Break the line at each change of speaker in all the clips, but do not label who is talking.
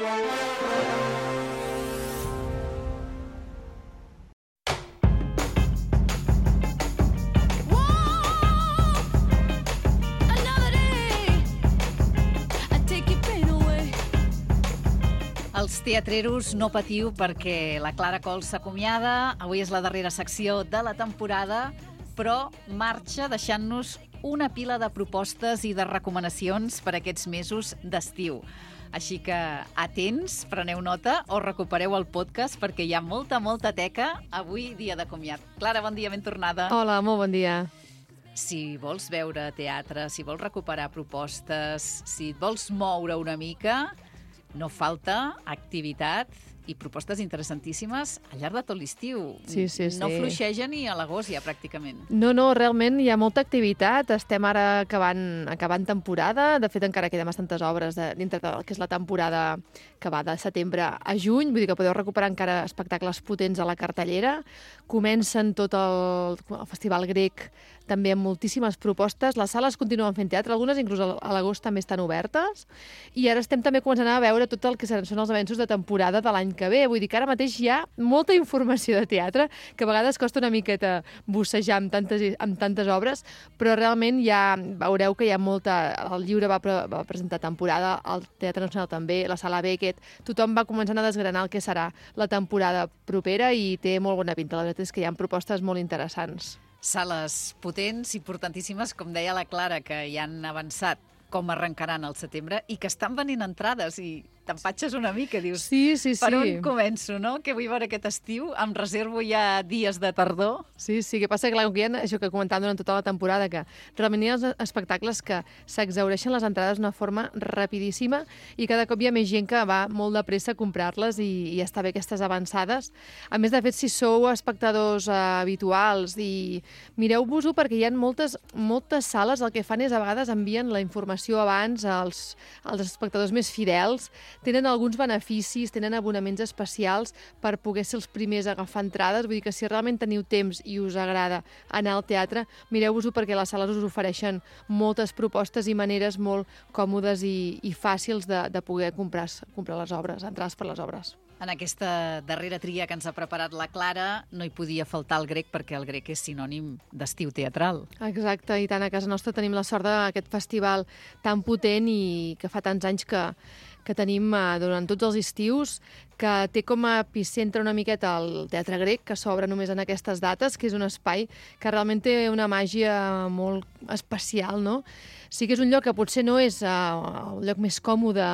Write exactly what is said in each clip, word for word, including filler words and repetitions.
Els teatreros no patiu perquè la Clara Cols s'acomiada. Avui és la darrera secció de la temporada, però marxa deixant-nos una pila de propostes i de recomanacions per aquests mesos d'estiu. Així que atents, preneu nota o recupereu el podcast perquè hi ha molta, molta teca avui dia de comiat. Clara, bon dia, ben tornada.
Hola, molt bon dia.
Si vols veure teatre, si vols recuperar propostes, si et vols moure una mica, no falta activitat i propostes interessantíssimes al llarg de tot l'estiu.
Sí, sí, sí.
No fluixeja ni a l'agost ja, pràcticament.
No, no, realment hi ha molta activitat. Estem ara acabant, acabant temporada. De fet, encara queden bastantes obres de, dintre del que és la temporada que va de setembre a juny. Vull dir que podeu recuperar encara espectacles potents a la cartellera. Comencen tot el, el Festival Grec també amb moltíssimes propostes. Les sales continuen fent teatre, algunes inclús a l'agost també estan obertes. I ara estem també començant a veure tot el que són els avenços de temporada de l'any que ve. Vull dir que ara mateix hi ha molta informació de teatre, que a vegades costa una miqueta bussejar amb tantes, amb tantes obres, però realment ja veureu que hi ha molta... El Lliure va, pre va presentar temporada, el Teatre Nacional també, la Sala Beckett, tothom va començant a desgranar el que serà la temporada propera i té molt bona pinta. La veritat és que hi ha propostes molt interessants.
Sales potents, importantíssimes, com deia la Clara, que ja han avançat com arrencaran al setembre i que estan venint entrades i t'empatxes una mica, dius,
sí, sí, sí.
Per on començo, no? Què vull veure aquest estiu? Em reservo ja dies de tardor?
Sí, sí, que passa que, clar, que hi ha això que comentàvem durant tota la temporada, que realment hi ha els espectacles que s'exhaureixen les entrades d'una forma rapidíssima i cada cop hi ha més gent que va molt de pressa a comprar-les i, i està bé aquestes avançades. A més, de fet, si sou espectadors eh, habituals i mireu-vos-ho perquè hi ha moltes, moltes sales, el que fan és a vegades envien la informació abans als, als espectadors més fidels. Tenen alguns beneficis, tenen abonaments especials per poder ser els primers a agafar entrades. Vull dir que si realment teniu temps i us agrada anar al teatre, mireu-vos-ho perquè les sales us ofereixen moltes propostes i maneres molt còmodes i, i fàcils de, de poder comprar, comprar les obres, entrades per les obres.
En aquesta darrera tria que ens ha preparat la Clara no hi podia faltar el grec perquè el grec és sinònim d'estiu teatral.
Exacte, i tant a casa nostra tenim la sort d'aquest festival tan potent i que fa tants anys que, que tenim eh, durant tots els estius, que té com a epicentre una miqueta el Teatre Grec, que s'obre només en aquestes dates, que és un espai que realment té una màgia molt especial, no? Sí que és un lloc que potser no és uh, el lloc més còmode,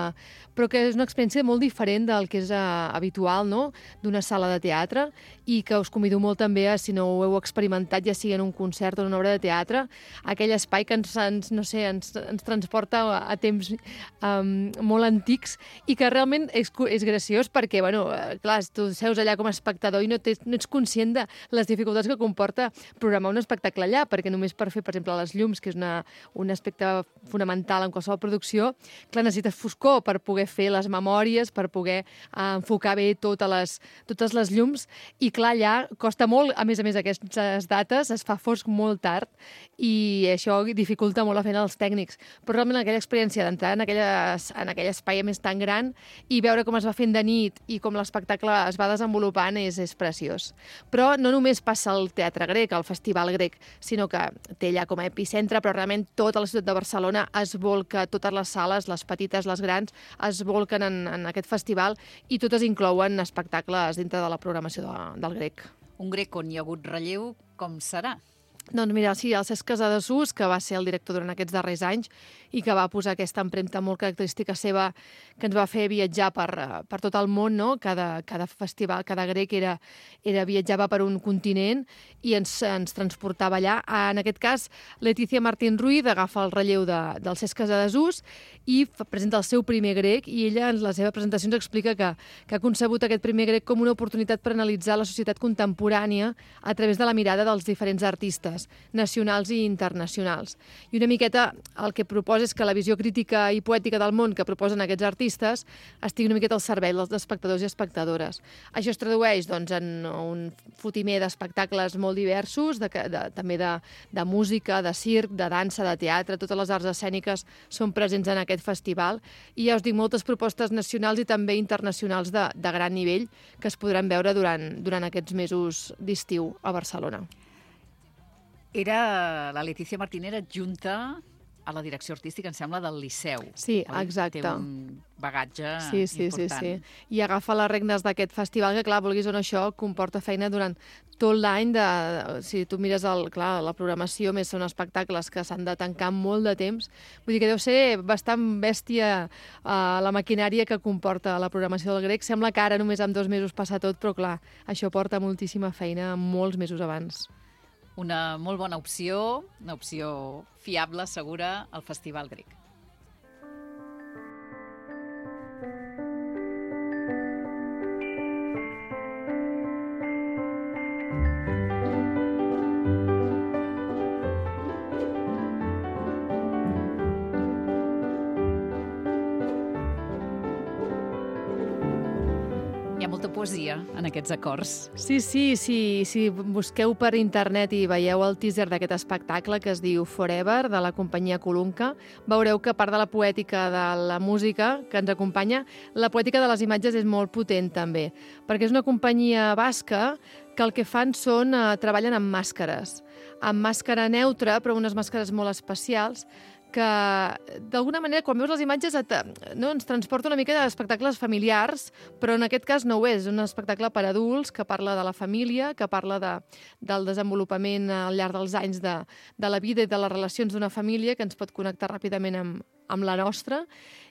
però que és una experiència molt diferent del que és uh, habitual, no?, d'una sala de teatre, i que us convido molt també a, si no ho heu experimentat, ja sigui en un concert o en una obra de teatre, aquell espai que ens, ens no sé, ens, ens transporta a, a temps um, molt antics i que realment és, és graciós perquè, bueno, clar, tu seus allà com a espectador i no, tens, no ets conscient de les dificultats que comporta programar un espectacle allà, perquè només per fer, per exemple, les llums, que és una, un aspecte fonamental en qualsevol producció, clar, necessites foscor per poder fer les memòries, per poder eh, enfocar bé totes les, totes les llums, i clar, allà costa molt, a més a més aquestes dates, es fa fosc molt tard, i això dificulta molt la feina dels tècnics. Però realment aquella experiència d'entrar en, aquelles, en aquell espai més tan gran i veure com es va fent de nit i com l'espectacle es va desenvolupant és, és preciós. Però no només passa al Teatre Grec, al Festival Grec, sinó que té allà com a epicentre, però realment tota la ciutat de Barcelona es volca, totes les sales, les petites, les grans, es volquen en, en aquest festival i totes inclouen espectacles dintre de la programació de, del Grec.
Un Grec on hi ha hagut relleu, com serà?
Doncs mira, sí, el Cesc Casadesús, que va ser el director durant aquests darrers anys i que va posar aquesta empremta molt característica seva que ens va fer viatjar per, per tot el món, no? Cada, cada festival, cada grec era, era viatjava per un continent i ens, ens transportava allà. En aquest cas, Letícia Martín Ruiz agafa el relleu de, del Cesc Casadesús i presenta el seu primer grec, i ella en la seva presentació ens explica que, que ha concebut aquest primer grec com una oportunitat per analitzar la societat contemporània a través de la mirada dels diferents artistes. propostes nacionals i internacionals. I una miqueta el que proposa és que la visió crítica i poètica del món que proposen aquests artistes estigui una miqueta al servei dels espectadors i espectadores. Això es tradueix doncs, en un fotimer d'espectacles molt diversos, de, de, també de, de música, de circ, de dansa, de teatre, totes les arts escèniques són presents en aquest festival i ja us dic, moltes propostes nacionals i també internacionals de, de gran nivell que es podran veure durant, durant aquests mesos d'estiu a Barcelona.
Era la Letícia Martínez adjunta a la direcció artística, em sembla, del Liceu.
Sí, exacte.
Té un bagatge
sí, sí, important. Sí, sí, sí. I agafa les regnes d'aquest festival, que clar, vulguis o no, això comporta feina durant tot l'any. De, si tu mires el, clar, la programació, més són espectacles que s'han de tancar molt de temps. Vull dir que deu ser bastant bèstia uh, la maquinària que comporta la programació del Grec. Sembla que ara només amb dos mesos passa tot, però clar, això porta moltíssima feina molts mesos abans.
Una molt bona opció, una opció fiable, segura, al Festival Grec. Hi ha molta poesia en aquests acords.
Sí, sí, sí, si busqueu per internet i veieu el teaser d'aquest espectacle que es diu Forever, de la companyia Colunca, veureu que a part de la poètica de la música que ens acompanya, la poètica de les imatges és molt potent també, perquè és una companyia basca que el que fan són, eh, treballen amb màscares, amb màscara neutra, però unes màscares molt especials, que d'alguna manera quan veus les imatges et, no, ens transporta una mica d'espectacles familiars, però en aquest cas no ho és, és un espectacle per adults que parla de la família, que parla de, del desenvolupament al llarg dels anys de, de la vida i de les relacions d'una família que ens pot connectar ràpidament amb, amb la nostra.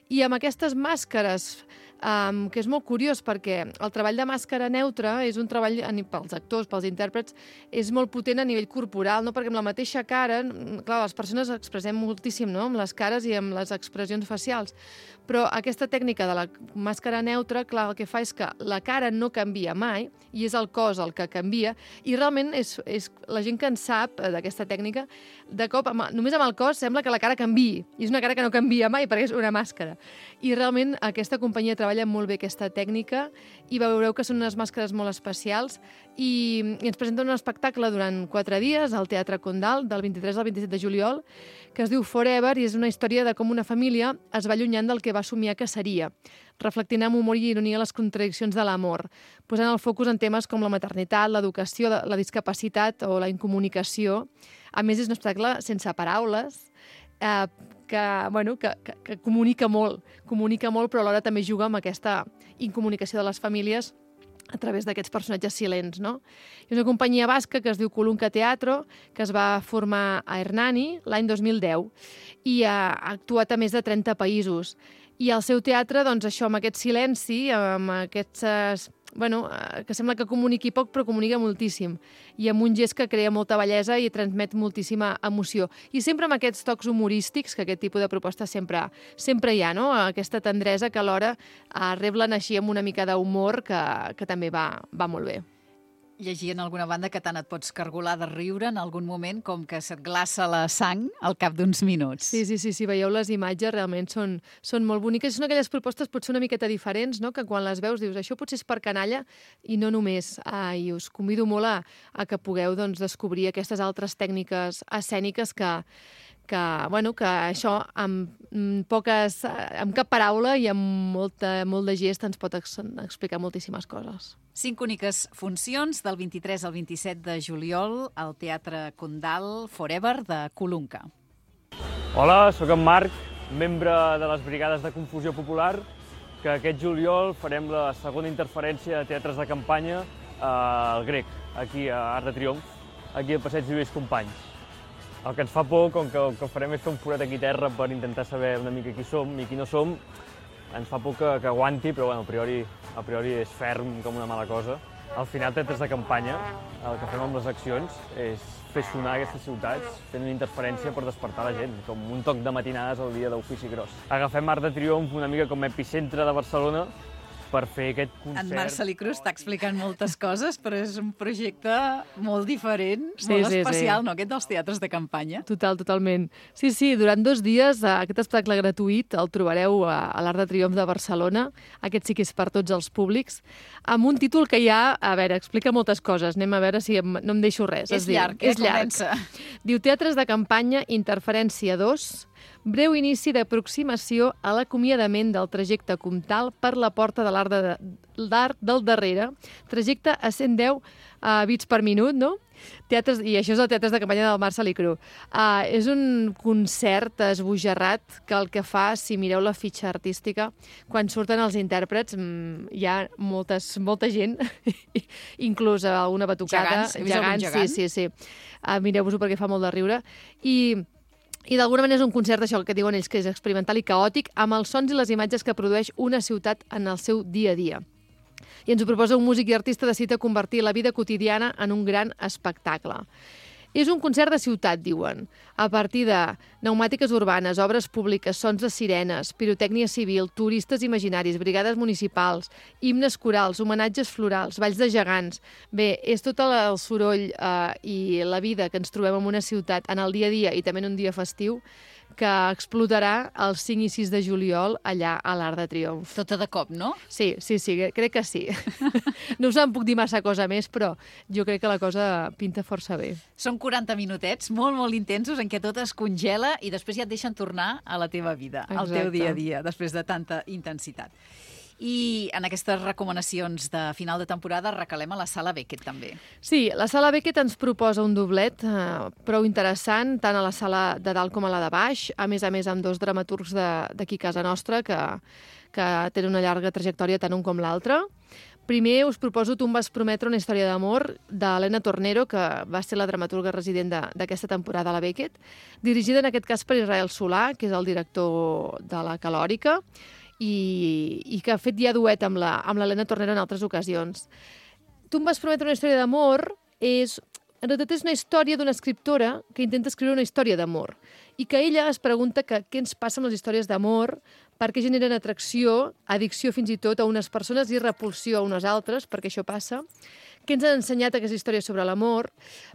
I amb aquestes màscares, um, que és molt curiós perquè el treball de màscara neutra és un treball pels actors, pels intèrprets, és molt potent a nivell corporal, no? Perquè amb la mateixa cara, clar, les persones expressem moltíssim, no? Amb les cares i amb les expressions facials, però aquesta tècnica de la màscara neutra, clar, el que fa és que la cara no canvia mai i és el cos el que canvia i realment és, és la gent que en sap d'aquesta tècnica, de cop, amb, només amb el cos sembla que la cara canviï i és una cara que no canvia mai perquè és una màscara. I realment aquesta companyia treballa molt bé aquesta tècnica i veureu que són unes màscares molt especials i, i ens presenten un espectacle durant quatre dies al Teatre Condal del vint-i-tres al vint-i-set de juliol que es diu Forever i és una història de com una família es va allunyant del que va somiar que seria, reflectint amb humor i ironia les contradiccions de l'amor, posant el focus en temes com la maternitat, l'educació, la discapacitat o la incomunicació. A més, és un espectacle sense paraules, eh, que, bueno, que, que, que comunica molt, comunica molt, però alhora també juga amb aquesta incomunicació de les famílies a través d'aquests personatges silents, no? És una companyia basca que es diu Colunca Teatro, que es va formar a Hernani l'any dos mil deu i ha actuat a més de trenta països. I el seu teatre, doncs això, amb aquest silenci, amb aquests... Bueno, que sembla que comuniqui poc, però comunica moltíssim. I amb un gest que crea molta bellesa i transmet moltíssima emoció. I sempre amb aquests tocs humorístics, que aquest tipus de propostes sempre, sempre hi ha, no? Aquesta tendresa que alhora reblen així amb una mica d'humor que, que també va, va molt bé.
Llegir en alguna banda que tant et pots cargolar de riure en algun moment com que se't glaça la sang al cap d'uns minuts.
Sí, sí, sí, sí, veieu les imatges, realment són, són molt boniques. Són aquelles propostes potser una miqueta diferents, no? Que quan les veus dius, això potser és per canalla i no només. Ah, i us convido molt a, a que pugueu doncs, descobrir aquestes altres tècniques escèniques que, que, bueno, que això amb poques, amb cap paraula i amb molta, molt de gest ens pot ex explicar moltíssimes coses.
Cinc úniques funcions del vint-i-tres al vint-i-set de juliol al Teatre Condal Forever de Colunca.
Hola, sóc en Marc, membre de les Brigades de Confusió Popular, que aquest juliol farem la segona interferència de teatres de campanya al Grec, aquí a Arc de Triomf, aquí al Passeig Lluís Companys. El que ens fa por, com que el que farem és fer un forat aquí a terra per intentar saber una mica qui som i qui no som, ens fa por que, que aguanti, però bueno, a priori, a priori és ferm com una mala cosa. Al final, teatres de campanya, el que fem amb les accions és fer sonar aquestes ciutats, fent una interferència per despertar la gent, com un toc de matinades al dia d'ofici gros. Agafem Arc de Triomf una mica com a epicentre de Barcelona per fer aquest concert.
En Marc Salicru està explicant moltes coses, però és un projecte molt diferent,
Sí,
molt
sí,
especial,
sí.
no?, aquest dels teatres de campanya.
Total, totalment. Sí, sí, durant dos dies eh, aquest espectacle gratuït el trobareu a, a l'Arc de Triomf de Barcelona. Aquest sí que és per tots els públics, amb un títol que ja, a veure, explica moltes coses. Anem a veure si em, no em deixo res.
És
Es diu,
llarg, eh?
és llarg.
Comença.
Diu Teatres de campanya, Interferència dos, breu inici d'aproximació a l'acomiadament del trajecte comtal per la porta de l'Arc de, l'Arc del Darrere, trajecte a cent deu uh, bits per minut, no? Teatres, i això és el Teatres de campanya del Marc Salicru. Uh, és un concert esbojarrat que el que fa, si mireu la fitxa artística, quan surten els intèrprets, mm, hi ha moltes, molta gent, inclús una batucada.
Gegants, he vist algun gegant?
Sí, sí, sí. Uh, mireu-vos-ho perquè fa molt de riure. I... I d'alguna manera és un concert d'això que diuen ells, que és experimental i caòtic, amb els sons i les imatges que produeix una ciutat en el seu dia a dia. I ens ho proposa un músic i artista decidit a convertir la vida quotidiana en un gran espectacle. És un concert de ciutat, diuen, a partir de pneumàtiques urbanes, obres públiques, sons de sirenes, pirotècnia civil, turistes imaginaris, brigades municipals, himnes corals, homenatges florals, balls de gegants. Bé, és tot el soroll eh, i la vida que ens trobem en una ciutat en el dia a dia i també en un dia festiu que explotarà el cinc i sis de juliol allà a l'Arc de Triomf.
Tota de cop, no?
Sí, sí, sí, crec que sí. No us en puc dir massa cosa més, però jo crec que la cosa pinta força bé.
Són quaranta minutets molt, molt intensos en què tot es congela i després ja et deixen tornar a la teva vida, al teu
Exacte.
dia a dia, després de tanta intensitat. I en aquestes recomanacions de final de temporada recalem a la Sala Beckett, també.
Sí, la Sala Beckett ens proposa un doblet eh, prou interessant, tant a la sala de dalt com a la de baix, a més a més amb dos dramaturgs d'aquí a casa nostra que, que tenen una llarga trajectòria tant un com l'altre. Primer us proposo Tu em vas prometre una història d'amor d'Helena Tornero, que va ser la dramaturga resident d'aquesta temporada a la Beckett, dirigida en aquest cas per Israel Solà, que és el director de la Calòrica, i, i que ha fet ja duet amb l'Helena Tornero en altres ocasions. Tu em vas prometre una història d'amor és, en realitat és una història d'una escriptora que intenta escriure una història d'amor i que ella es pregunta que, què ens passa amb les històries d'amor, per què generen atracció, addicció fins i tot a unes persones i repulsió a unes altres, perquè això passa, què ens han ensenyat aquestes històries sobre l'amor,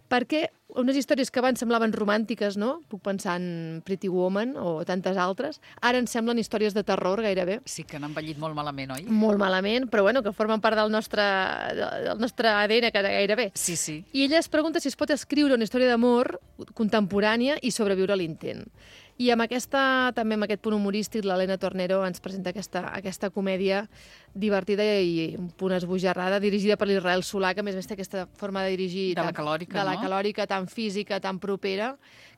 perquè unes històries que abans semblaven romàntiques, no? Puc pensar en Pretty Woman o tantes altres, ara ens semblen històries de terror gairebé.
Sí que han envellit molt malament, oi?
Molt malament, però bueno, que formen part del nostre, del nostre A D N gairebé.
Sí, sí.
I ella es pregunta si es pot escriure una història d'amor contemporània i sobreviure a l'intent. I amb aquesta, també amb aquest punt humorístic, l'Helena Tornero ens presenta aquesta, aquesta comèdia divertida i un punt esbojarrada, dirigida per l'Israel Solà, que a més a més té aquesta forma de dirigir...
De la
tan,
Calòrica,
de la
no?
Calòrica, tan física, tan propera,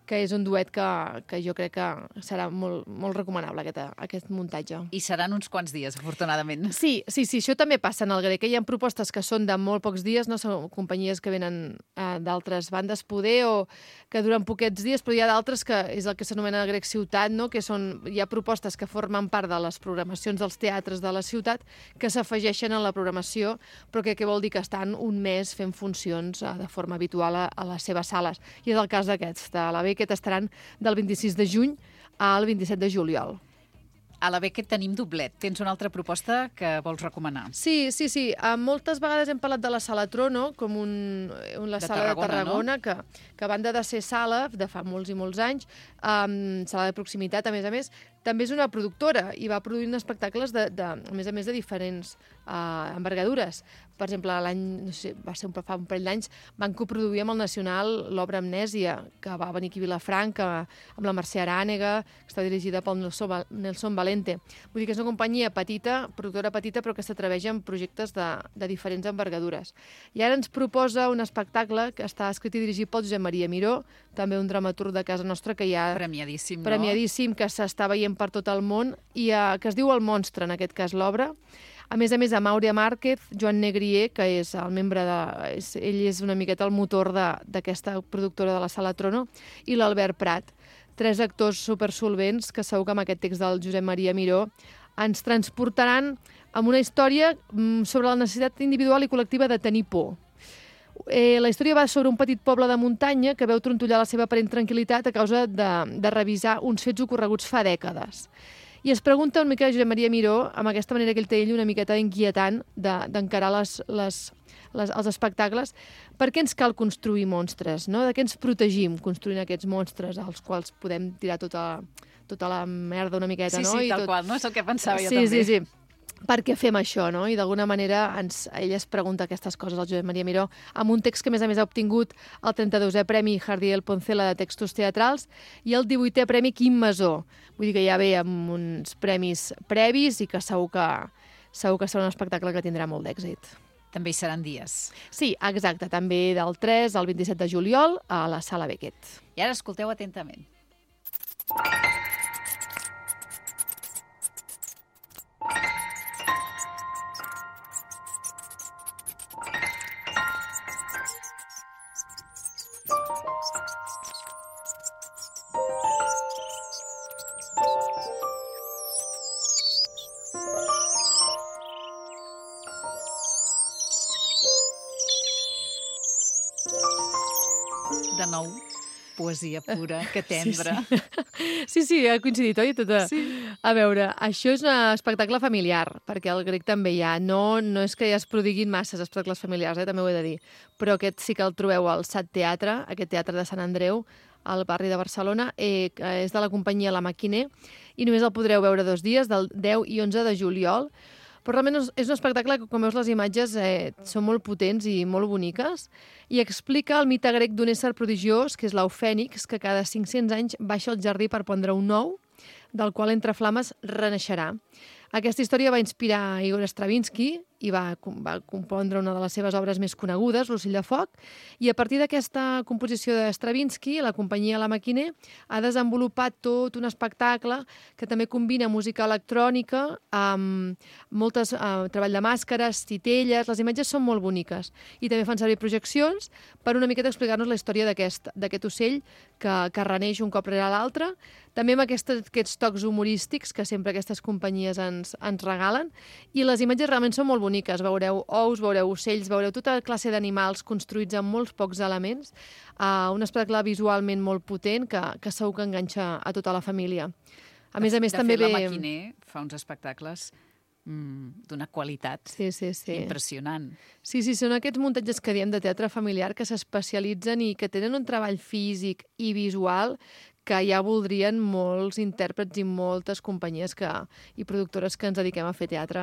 que és un duet que, que jo crec que serà molt, molt recomanable, aquest, aquest muntatge.
I seran uns quants dies, afortunadament.
Sí, sí, sí, això també passa en el grec. Hi ha propostes que són de molt pocs dies, no són companyies que venen eh, d'altres bandes poder o que duren poquets dies, però hi ha d'altres que és el que s'anomena grec ciutat, no? Que són, hi ha propostes que formen part de les programacions dels teatres de la ciutat que s'afegeixen a la programació, però que què vol dir que estan un mes fent funcions eh, de forma habitual a, a les seves sales. I és el cas d'aquests, de la Beckett estaran del vint-i-sis de juny al vint-i-set de juliol.
A la Beckett tenim doblet. Tens una altra proposta que vols recomanar?
Sí, sí, sí. Uh, moltes vegades hem parlat de la Sala Trono, com un, un la
de
sala
Tarragona,
de Tarragona,
no?
que, que a banda de ser sala de fa molts i molts anys, um, sala de proximitat, a més a més, també és una productora i va produint espectacles, de, de, a més a més, de diferents uh, envergadures. Per exemple, l'any, no sé, va ser un, fa un parell d'anys, van coproduir amb el Nacional l'obra Amnèsia, que va venir aquí a Vilafranca, amb la Mercè Arànega, que està dirigida pel Nelson, Nelson Valente. Vull dir que és una companyia petita, productora petita, però que s'atreveix en projectes de, de diferents envergadures. I ara ens proposa un espectacle que està escrit i dirigit pel Josep Maria Miró, també un dramaturg de casa nostra que hi ha...
Premiadíssim, no?
Premiadíssim, que s'està veient per tot el món, i uh, que es diu El Monstre, en aquest cas, l'obra. A més a més, amb Àurea Márquez, Joan Negrier, que és el membre de... És, ell és una miqueta el motor d'aquesta productora de la Sala Trono, i l'Albert Prat. Tres actors supersolvents que segur que amb aquest text del Josep Maria Miró ens transportaran amb una història sobre la necessitat individual i col·lectiva de tenir por. Eh, la història va sobre un petit poble de muntanya que veu trontollar la seva aparent tranquil·litat a causa de, de revisar uns fets ocorreguts fa dècades. I es pregunta una mica Josep Maria Miró, amb aquesta manera que ell té ell una miqueta inquietant d'encarar les, les, les, els espectacles, per què ens cal construir monstres, no? De què ens protegim construint aquests monstres als quals podem tirar tota, tota la merda una miqueta,
sí,
no?
Sí, sí,
I
tal
tot...
qual, no? És el que pensava
sí,
jo també.
Sí, sí, sí. Per què fem això, no? I d'alguna manera ens, ell es pregunta aquestes coses, el Josep Maria Miró, amb un text que a més a més ha obtingut el trenta-dosè Premi Jardiel Poncela de Textos Teatrals i el divuitè Premi Quim Masó. Vull dir que ja ve amb uns premis previs i que segur que, segur que serà un espectacle que tindrà molt d'èxit.
També hi seran dies.
Sí, exacte, també del tres al vint-i-set de juliol a la Sala Beckett.
I ara escolteu atentament. De nou, poesia pura, que tendre.
Sí, sí, sí, sí ha coincidit, oi? Tota... Sí. A veure, això és un espectacle familiar, perquè el grec també hi ha. No, no és que ja es prodiguin masses espectacles familiars, eh? També ho he de dir. Però aquest sí que el trobeu al Sat Teatre, aquest teatre de Sant Andreu, al barri de Barcelona, eh, que és de la companyia La Maquiner, i només el podreu veure dos dies, del deu i onze de juliol. Però realment és un espectacle que, com veus, les imatges eh, són molt potents i molt boniques i explica el mite grec d'un ésser prodigiós, que és l'Eufènix, que cada cinc-cents anys baixa al jardí per pondre un ou, del qual entre flames renaixerà. Aquesta història va inspirar Igor Stravinsky i va, va compondre una de les seves obres més conegudes, L'ocell de foc, i a partir d'aquesta composició de Stravinsky, la companyia La Maquiner ha desenvolupat tot un espectacle que també combina música electrònica amb moltes, eh, treball de màscares, titelles, les imatges són molt boniques i també fan servir projeccions per una miqueta explicar-nos la història d'aquest d'aquest ocell que, que reneix un cop rere l'altre, també amb aquests, aquests tocs humorístics que sempre aquestes companyies ens, ens regalen, i les imatges realment són molt boniques. Veureu ous, veureu ocells, veureu tota classe d'animals construïts amb molts pocs elements, uh, un espectacle visualment molt potent que, que segur que enganxa a tota la família. A més a més,
de
també
fet,
ve...
La Maquiner fa uns espectacles mm, d'una qualitat
sí, sí, sí.
impressionant.
Sí, sí, són aquests muntatges que diem de teatre familiar que s'especialitzen i que tenen un treball físic i visual que ja voldrien molts intèrprets i moltes companyies que, i productores que ens dediquem a fer teatre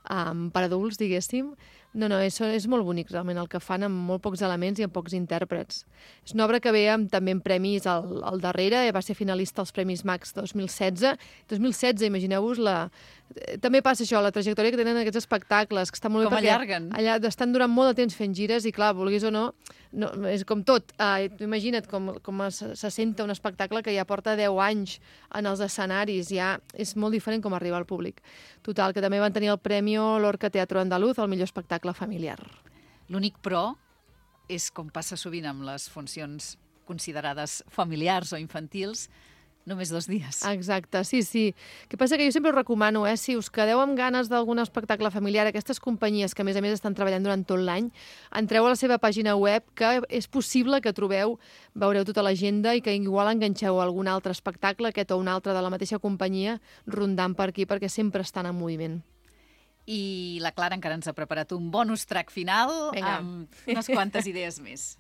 um, per adults, diguéssim. No, no, és, és molt bonic realment el que fan amb molt pocs elements i amb pocs intèrprets. És una obra que ve amb, també amb premis al, al darrere, va ser finalista als Premis Max dos mil setze. dos mil setze, imagineu-vos, la... també passa això, la trajectòria que tenen aquests espectacles, que està molt
com
bé perquè
allarguen.
Allà estan durant molt de temps fent gires i, clar, vulguis o no, no és com tot. Uh, imagina't com, com se, se senta un espectacle que ja porta deu anys en els escenaris, ja és molt diferent com arriba al públic. Total, que també van tenir el Premi Lorca Teatro Andaluz, el millor espectacle familiar.
L'únic però és, com passa sovint amb les funcions considerades familiars o infantils, només dos dies.
Exacte, sí, sí. El que passa que jo sempre us recomano, eh, si us quedeu amb ganes d'algun espectacle familiar, aquestes companyies que a més a més estan treballant durant tot l'any, entreu a la seva pàgina web, que és possible que trobeu, veureu tota l'agenda i que igual enganxeu algun altre espectacle, aquest o un altre de la mateixa companyia, rondant per aquí, perquè sempre estan en moviment.
I la Clara encara ens ha preparat un bonus track final
Vinga.
amb unes quantes idees més.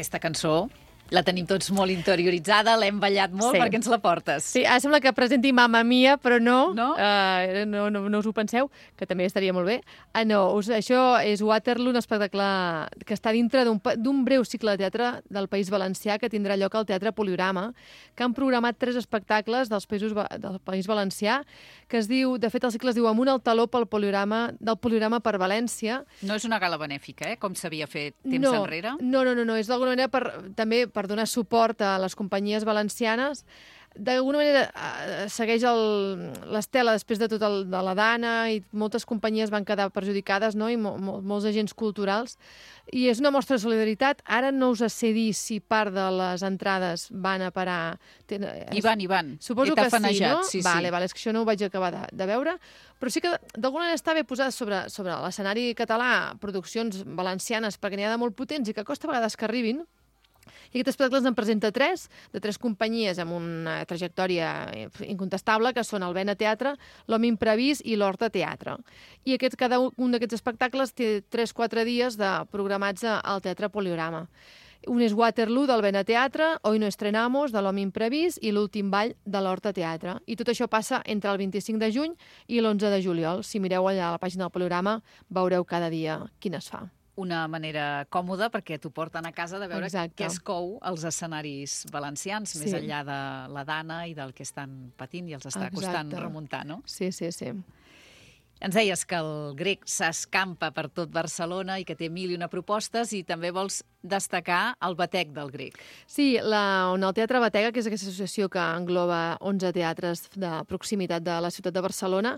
Aquesta cançó La tenim tots molt interioritzada, l'hem ballat molt,
Sí.
perquè ens la portes.
Sí, ara sembla que presenti Mamma Mia, però no.
No?
Uh, no, no, no us ho penseu, que també estaria molt bé. Uh, no, us, això és Waterloo, un espectacle que està dintre d'un pa- d'un breu cicle de teatre del País Valencià que tindrà lloc al Teatre Poliorama, que han programat tres espectacles dels països, va- del País Valencià, que es diu, de fet el cicle es diu Amunt al taló pel Poliorama, del Poliorama per València.
No és una gala benèfica, eh? Com s'havia fet temps
no,
enrere.
No, no, no, no, és d'alguna manera per, també per donar suport a les companyies valencianes. D'alguna manera eh, segueix el- l'estela després de tot el, de la Dana i moltes companyies van quedar perjudicades, no? I mo, mo, molts agents culturals. I és una mostra de solidaritat. Ara no us sé dir si part de les entrades van a parar... Ten,
I van, i van.
Suposo
He
que sí,
tafanejat,
no?
Sí,
vale,
sí.
vale, és que això no ho vaig acabar de, de veure, però sí que d'alguna manera està bé posar sobre, sobre l'escenari català produccions valencianes, perquè n'hi ha de molt potents i que costa a vegades que arribin. I aquest espectacle ens en presenta tres, de tres companyies amb una trajectòria incontestable, que són el Vena Teatre, l'Home Imprevist i l'Horta Teatre. I aquest, cada un d'aquests espectacles té tres o quatre dies de programats al Teatre Poliorama. Un és Waterloo, del Vena Teatre, Hoy no estrenamos, de l'Home Imprevist, i l'Últim ball, de l'Horta Teatre. I tot això passa entre el vint-i-cinc de juny i l'onze de juliol. Si mireu allà a la pàgina del Poliorama, veureu cada dia quin es fa.
Una manera còmoda perquè t'ho porten a casa de veure
Exacte.
què es cou als escenaris valencians,
Sí.
més enllà de la Dana i del que estan patint i els està costant
Exacte.
remuntar, no?
Sí, sí, sí.
Ens deies que el grec s'escampa per tot Barcelona i que té mil i una propostes i també vols destacar el batec del grec.
Sí, la, on el Teatre Batega, que és aquesta associació que engloba onze teatres de proximitat de la ciutat de Barcelona,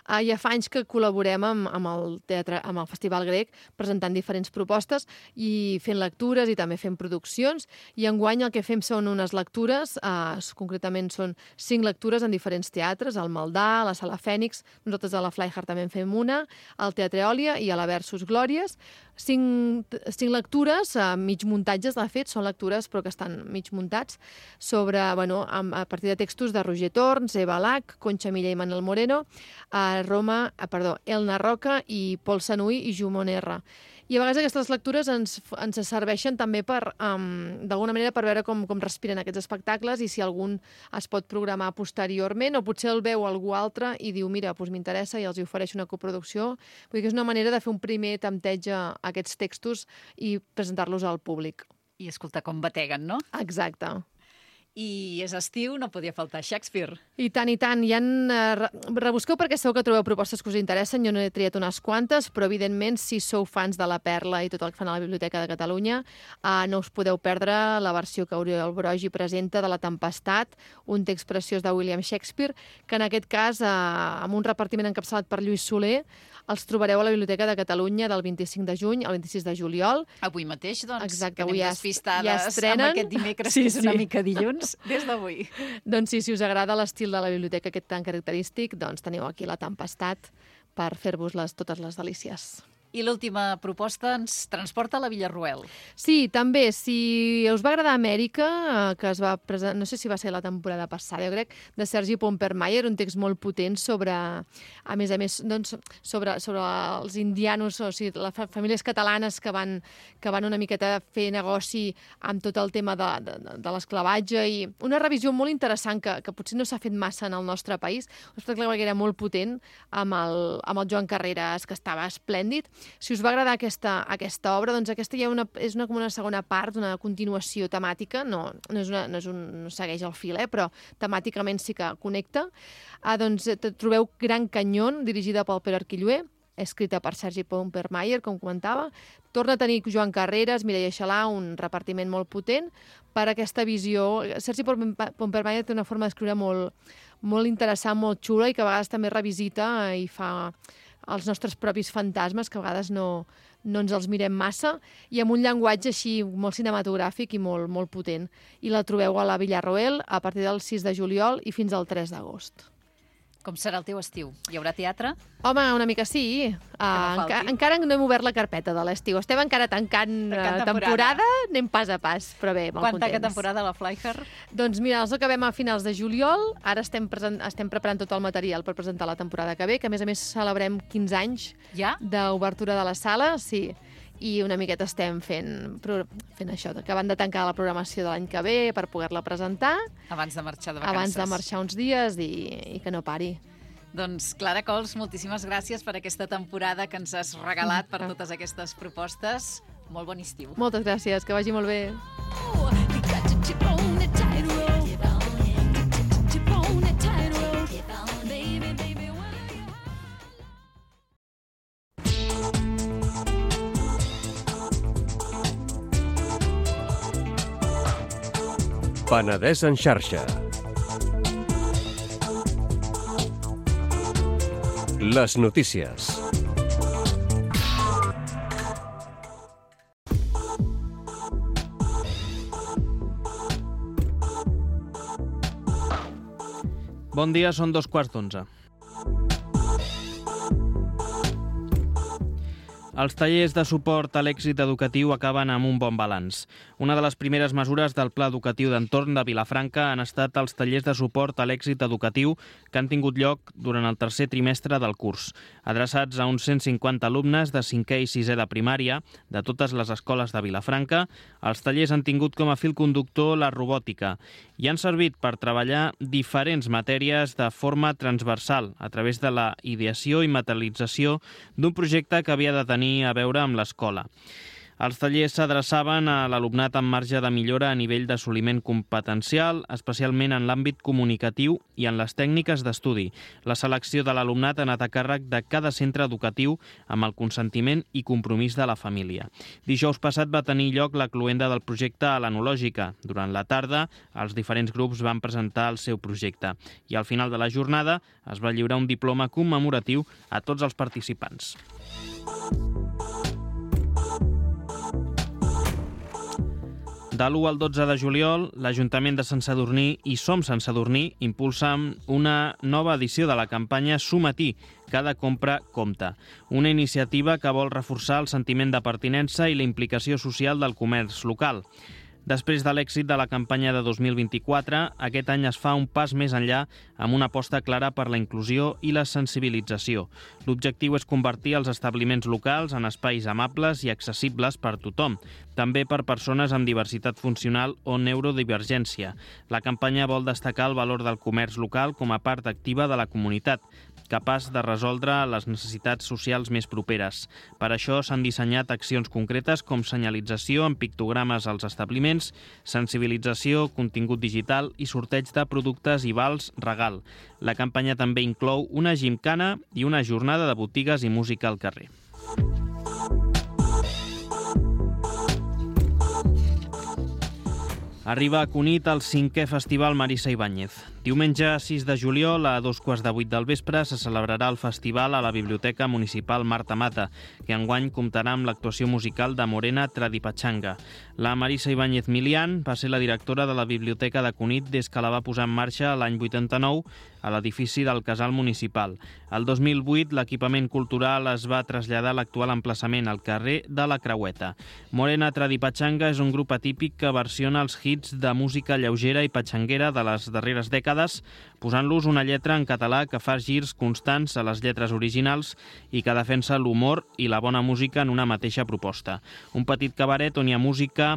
eh, ja fa anys que col·laborem amb, amb, el teatre, amb el Festival Grec, presentant diferents propostes i fent lectures i també fent produccions. I enguany el que fem són unes lectures, eh, concretament són cinc lectures en diferents teatres, al Maldà, a la Sala Fènix, nosaltres a la Flyhard també en fem una, al Teatre Òlia i a la Versus Glòries. Cinc, cinc lectures, eh, mig muntatges, de fet, són lectures però que estan mig muntats, sobre, bueno, a, a partir de textos de Roger Torns, Eva Lac, Concha Milla i Manuel Moreno, a Roma, a, perdó, Elna Roca i Pol Sanui i Jumon R. I a vegades aquestes lectures ens, ens serveixen també per, um, d'alguna manera, per veure com, com respiren aquests espectacles i si algun es pot programar posteriorment o potser el veu algú altre i diu, mira, doncs m'interessa i els hi ofereix una coproducció. Vull dir que és una manera de fer un primer tempteig a aquests textos i presentar-los al públic.
I escolta com bateguen, no?
Exacte.
I és estiu, no podia faltar Shakespeare.
I tant, i tant. Hi ha, eh, re- rebusqueu perquè segur que trobeu propostes que us interessen. Jo no he triat unes quantes, però evidentment, si sou fans de La Perla i tot el que fan a la Biblioteca de Catalunya, eh, no us podeu perdre la versió que Oriol Brogi presenta de La Tempestat, un text preciós de William Shakespeare, que en aquest cas, eh, amb un repartiment encapçalat per Lluís Soler, els trobareu a la Biblioteca de Catalunya del vint-i-cinc de juny al vint-i-sis de juliol.
Avui mateix, doncs,
Exacte,
que anem
avui ja es-
despistades
ja estrenen.
amb aquest dimecres,
Sí,
que és una
sí.
mica dilluns, des d'avui.
Doncs sí, si us agrada l'estil de la biblioteca aquest tan característic, doncs teniu aquí La Tempestat per fer-vos les, totes les delícies.
I l'última proposta ens transporta a la Villarroel.
Sí, també, si us va agradar Amèrica, eh, que es va presentar, no sé si va ser la temporada passada, jo crec, de Sergi Pompermayer, un text molt potent sobre, a més a més, doncs, sobre, sobre els indianos, o sigui, les fa- famílies catalanes que van, que van una miqueta a fer negoci amb tot el tema de, de, de l'esclavatge i una revisió molt interessant que, que potser no s'ha fet massa en el nostre país, un espectacle que era molt potent amb el, amb el Joan Carreras, que estava esplèndid. Si us va agradar aquesta, aquesta obra, doncs aquesta ja una, és una, com una segona part, una continuació temàtica, no, no, és una, no, és un, no segueix el fil, eh, però temàticament sí que connecta. Ah, doncs eh, trobeu Gran Canyón, dirigida pel Pere Arquillué, escrita per Sergi Pompermayer, com comentava. Torna a tenir Joan Carreras, Mireia Xalà, un repartiment molt potent per aquesta visió. Sergi Pompermayer té una forma d'escriure molt, molt interessant, molt xula i que a vegades també revisita i fa els nostres propis fantasmes, que a vegades no, no ens els mirem massa, i amb un llenguatge així molt cinematogràfic i molt, molt potent. I la trobeu a la Villarroel a partir del sis de juliol i fins al tres d'agost.
Com serà el teu estiu? Hi haurà teatre?
Home, una mica sí. Uh,
no
enca
falti.
encara no hem obert la carpeta de l'estiu. Estem encara tancant,
Tancant
uh,
temporada.
temporada, anem pas a pas, però bé, molt
Quan tanca
contents.
temporada a la Flyhard?
Doncs mira, els acabem a finals de juliol, ara estem, present, estem preparant tot el material per presentar la temporada que ve, que a més a més celebrem quinze anys
Ja?
d'obertura de la sala, sí. i una miqueta estem fent, fent això, acabant de tancar la programació de l'any que ve per poder-la presentar.
Abans de marxar de vacances.
Abans de marxar uns dies i, i que no pari.
Doncs Clara Cols, moltíssimes gràcies per aquesta temporada que ens has regalat, per totes aquestes propostes. Molt bon estiu.
Moltes gràcies, que vagi molt bé.
Penedès en xarxa. Les notícies.
Bon dia, són dos quarts d'onze. Els tallers de suport a l'èxit educatiu acaben amb un bon balanç. Una de les primeres mesures del Pla Educatiu d'Entorn de Vilafranca han estat els tallers de suport a l'èxit educatiu que han tingut lloc durant el tercer trimestre del curs. Adreçats a uns cent cinquanta alumnes de cinquè i sisè de primària de totes les escoles de Vilafranca, els tallers han tingut com a fil conductor la robòtica i han servit per treballar diferents matèries de forma transversal a través de la ideació i materialització d'un projecte que havia de tenir a veure amb l'escola. Els tallers s'adreçaven a l'alumnat amb marge de millora a nivell d'assoliment competencial, especialment en l'àmbit comunicatiu i en les tècniques d'estudi. La selecció de l'alumnat ha anat a càrrec de cada centre educatiu amb el consentiment i compromís de la família. Dijous passat va tenir lloc la cloenda del projecte a l'Enològica. Durant la tarda, els diferents grups van presentar el seu projecte i al final de la jornada es va lliurar un diploma commemoratiu a tots els participants. De l'u al dotze de juliol, l'Ajuntament de Sant Sadurní i Som Sant Sadurní impulsen una nova edició de la campanya Sumatí, cada compra compta. Una iniciativa que vol reforçar el sentiment de pertinença i la implicació social del comerç local. Després de l'èxit de la campanya de dos mil vint-i-quatre, aquest any es fa un pas més enllà amb una aposta clara per la inclusió i la sensibilització. L'objectiu és convertir els establiments locals en espais amables i accessibles per tothom, també per persones amb diversitat funcional o neurodivergència. La campanya vol destacar el valor del comerç local com a part activa de la comunitat, capaç de resoldre les necessitats socials més properes. Per això s'han dissenyat accions concretes com senyalització amb pictogrames als establiments, sensibilització, contingut digital i sorteig de productes i vals regal. La campanya també inclou una gimcana i una jornada de botigues i música al carrer. Arriba a Cunit el cinquè Festival Marisa Ibáñez. Diumenge sis de juliol, a dos quarts de vuit del vespre, se celebrarà el festival a la Biblioteca Municipal Marta Mata, que enguany comptarà amb l'actuació musical de Morena Tradipachanga. La Marisa Ibáñez Milian va ser la directora de la Biblioteca de Cunit des que la va posar en marxa l'any vuitanta-nou a l'edifici del Casal Municipal. El dos mil vuit, l'equipament cultural es va traslladar a l'actual emplaçament, al carrer de la Creueta. Morena Tradipachanga és un grup atípic que versiona els hits de música lleugera i patxanguera de les darreres dècades, posant-los una lletra en català que fa girs constants a les lletres originals i que defensa l'humor i la bona música en una mateixa proposta. Un petit cabaret on hi ha música,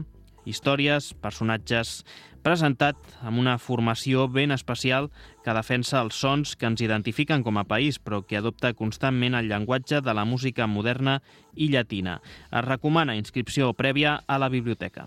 històries, personatges, presentat amb una formació ben especial que defensa els sons que ens identifiquen com a país, però que adopta constantment el llenguatge de la música moderna i llatina. Es recomana inscripció prèvia a la biblioteca.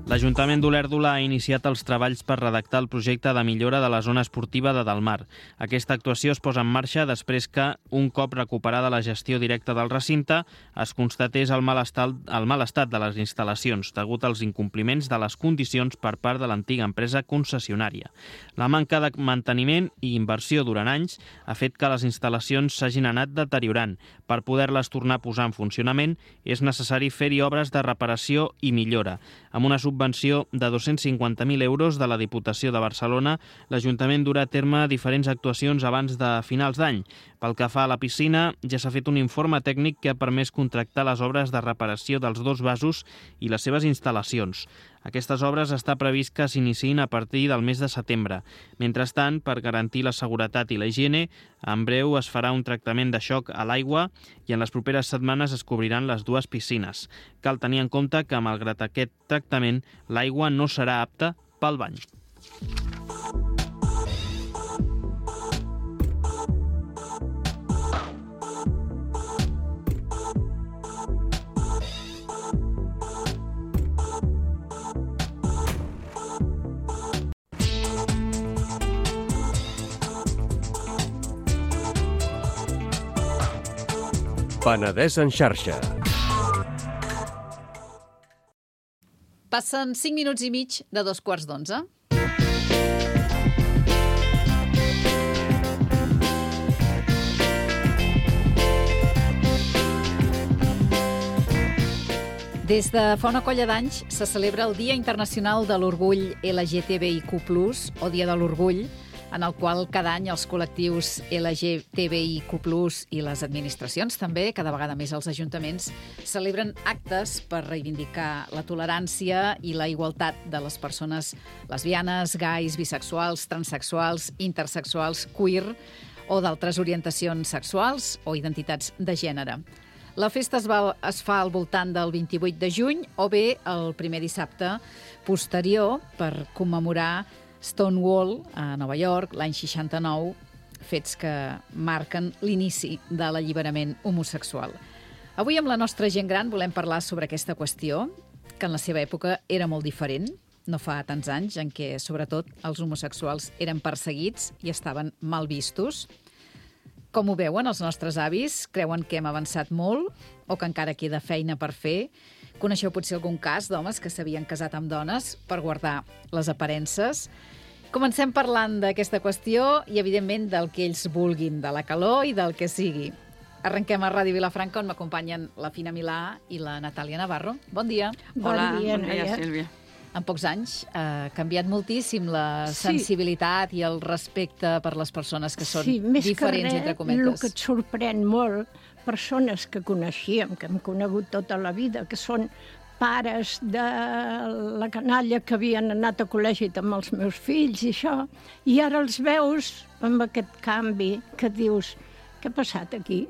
L'Ajuntament d'Olèrdola ha iniciat els treballs per redactar el projecte de millora de la zona esportiva de Delmar. Aquesta actuació es posa en marxa després que, un cop recuperada la gestió directa del recinte, es constatés el mal estat, el mal estat de les instal·lacions, degut als incompliments de les condicions per part de l'antiga empresa concessionària. La manca de manteniment i inversió durant anys ha fet que les instal·lacions s'hagin anat deteriorant. Per poder-les tornar a posar en funcionament, és necessari fer-hi obres de reparació i millora. Amb una subvenció de dos-cents cinquanta mil euros de la Diputació de Barcelona, l'Ajuntament durà a terme diferents actuacions abans de finals d'any. Pel que fa a la piscina, ja s'ha fet un informe tècnic que ha permès contractar les obres de reparació dels dos vasos i les seves instal·lacions. Aquestes obres està previst que s'iniciïn a partir del mes de setembre. Mentrestant, per garantir la seguretat i la higiene, en breu es farà un tractament de xoc a l'aigua i en les properes setmanes es cobriran les dues piscines. Cal tenir en compte que, malgrat aquest tractament, l'aigua no serà apta pel bany.
Penedès en xarxa.
Passen cinc minuts i mig de dos quarts d'onze. Des de fa una colla d'anys se celebra el Dia Internacional de l'Orgull L G T B I Q plus, o Dia de l'Orgull, en el qual cada any els col·lectius L G T B I Q plus i les administracions també, cada vegada més els ajuntaments, celebren actes per reivindicar la tolerància i la igualtat de les persones lesbianes, gais, bisexuals, transexuals, intersexuals, queer o d'altres orientacions sexuals o identitats de gènere. La festa es, va, es fa al voltant del vint-i-vuit de juny o bé el primer dissabte posterior per commemorar Stonewall, a Nova York, l'any seixanta-nou, fets que marquen l'inici de l'alliberament homosexual. Avui amb la nostra gent gran volem parlar sobre aquesta qüestió, que en la seva època era molt diferent, no fa tants anys, en què, sobretot, els homosexuals eren perseguits i estaven mal vistos. Com ho veuen els nostres avis? Creuen que hem avançat molt o que encara queda feina per fer? Coneixeu potser algun cas d'homes que s'havien casat amb dones per guardar les aparences? Comencem parlant d'aquesta qüestió i, evidentment, del que ells vulguin, de la calor i del que sigui. Arrenquem a Ràdio Vilafranca, on m'acompanyen la Fina Milà i la Natàlia Navarro. Bon dia.
Hola, bon dia, bon dia Sílvia.
En pocs anys ha canviat moltíssim la sensibilitat sí. i el respecte per les persones que són
sí,
diferents,
res,
entre cometes.
El que et sorprèn molt, persones que coneixíem, que hem conegut tota la vida, que són pares de la canalla que havien anat a col·legi amb els meus fills i això, i ara els veus amb aquest canvi que dius, què ha passat aquí?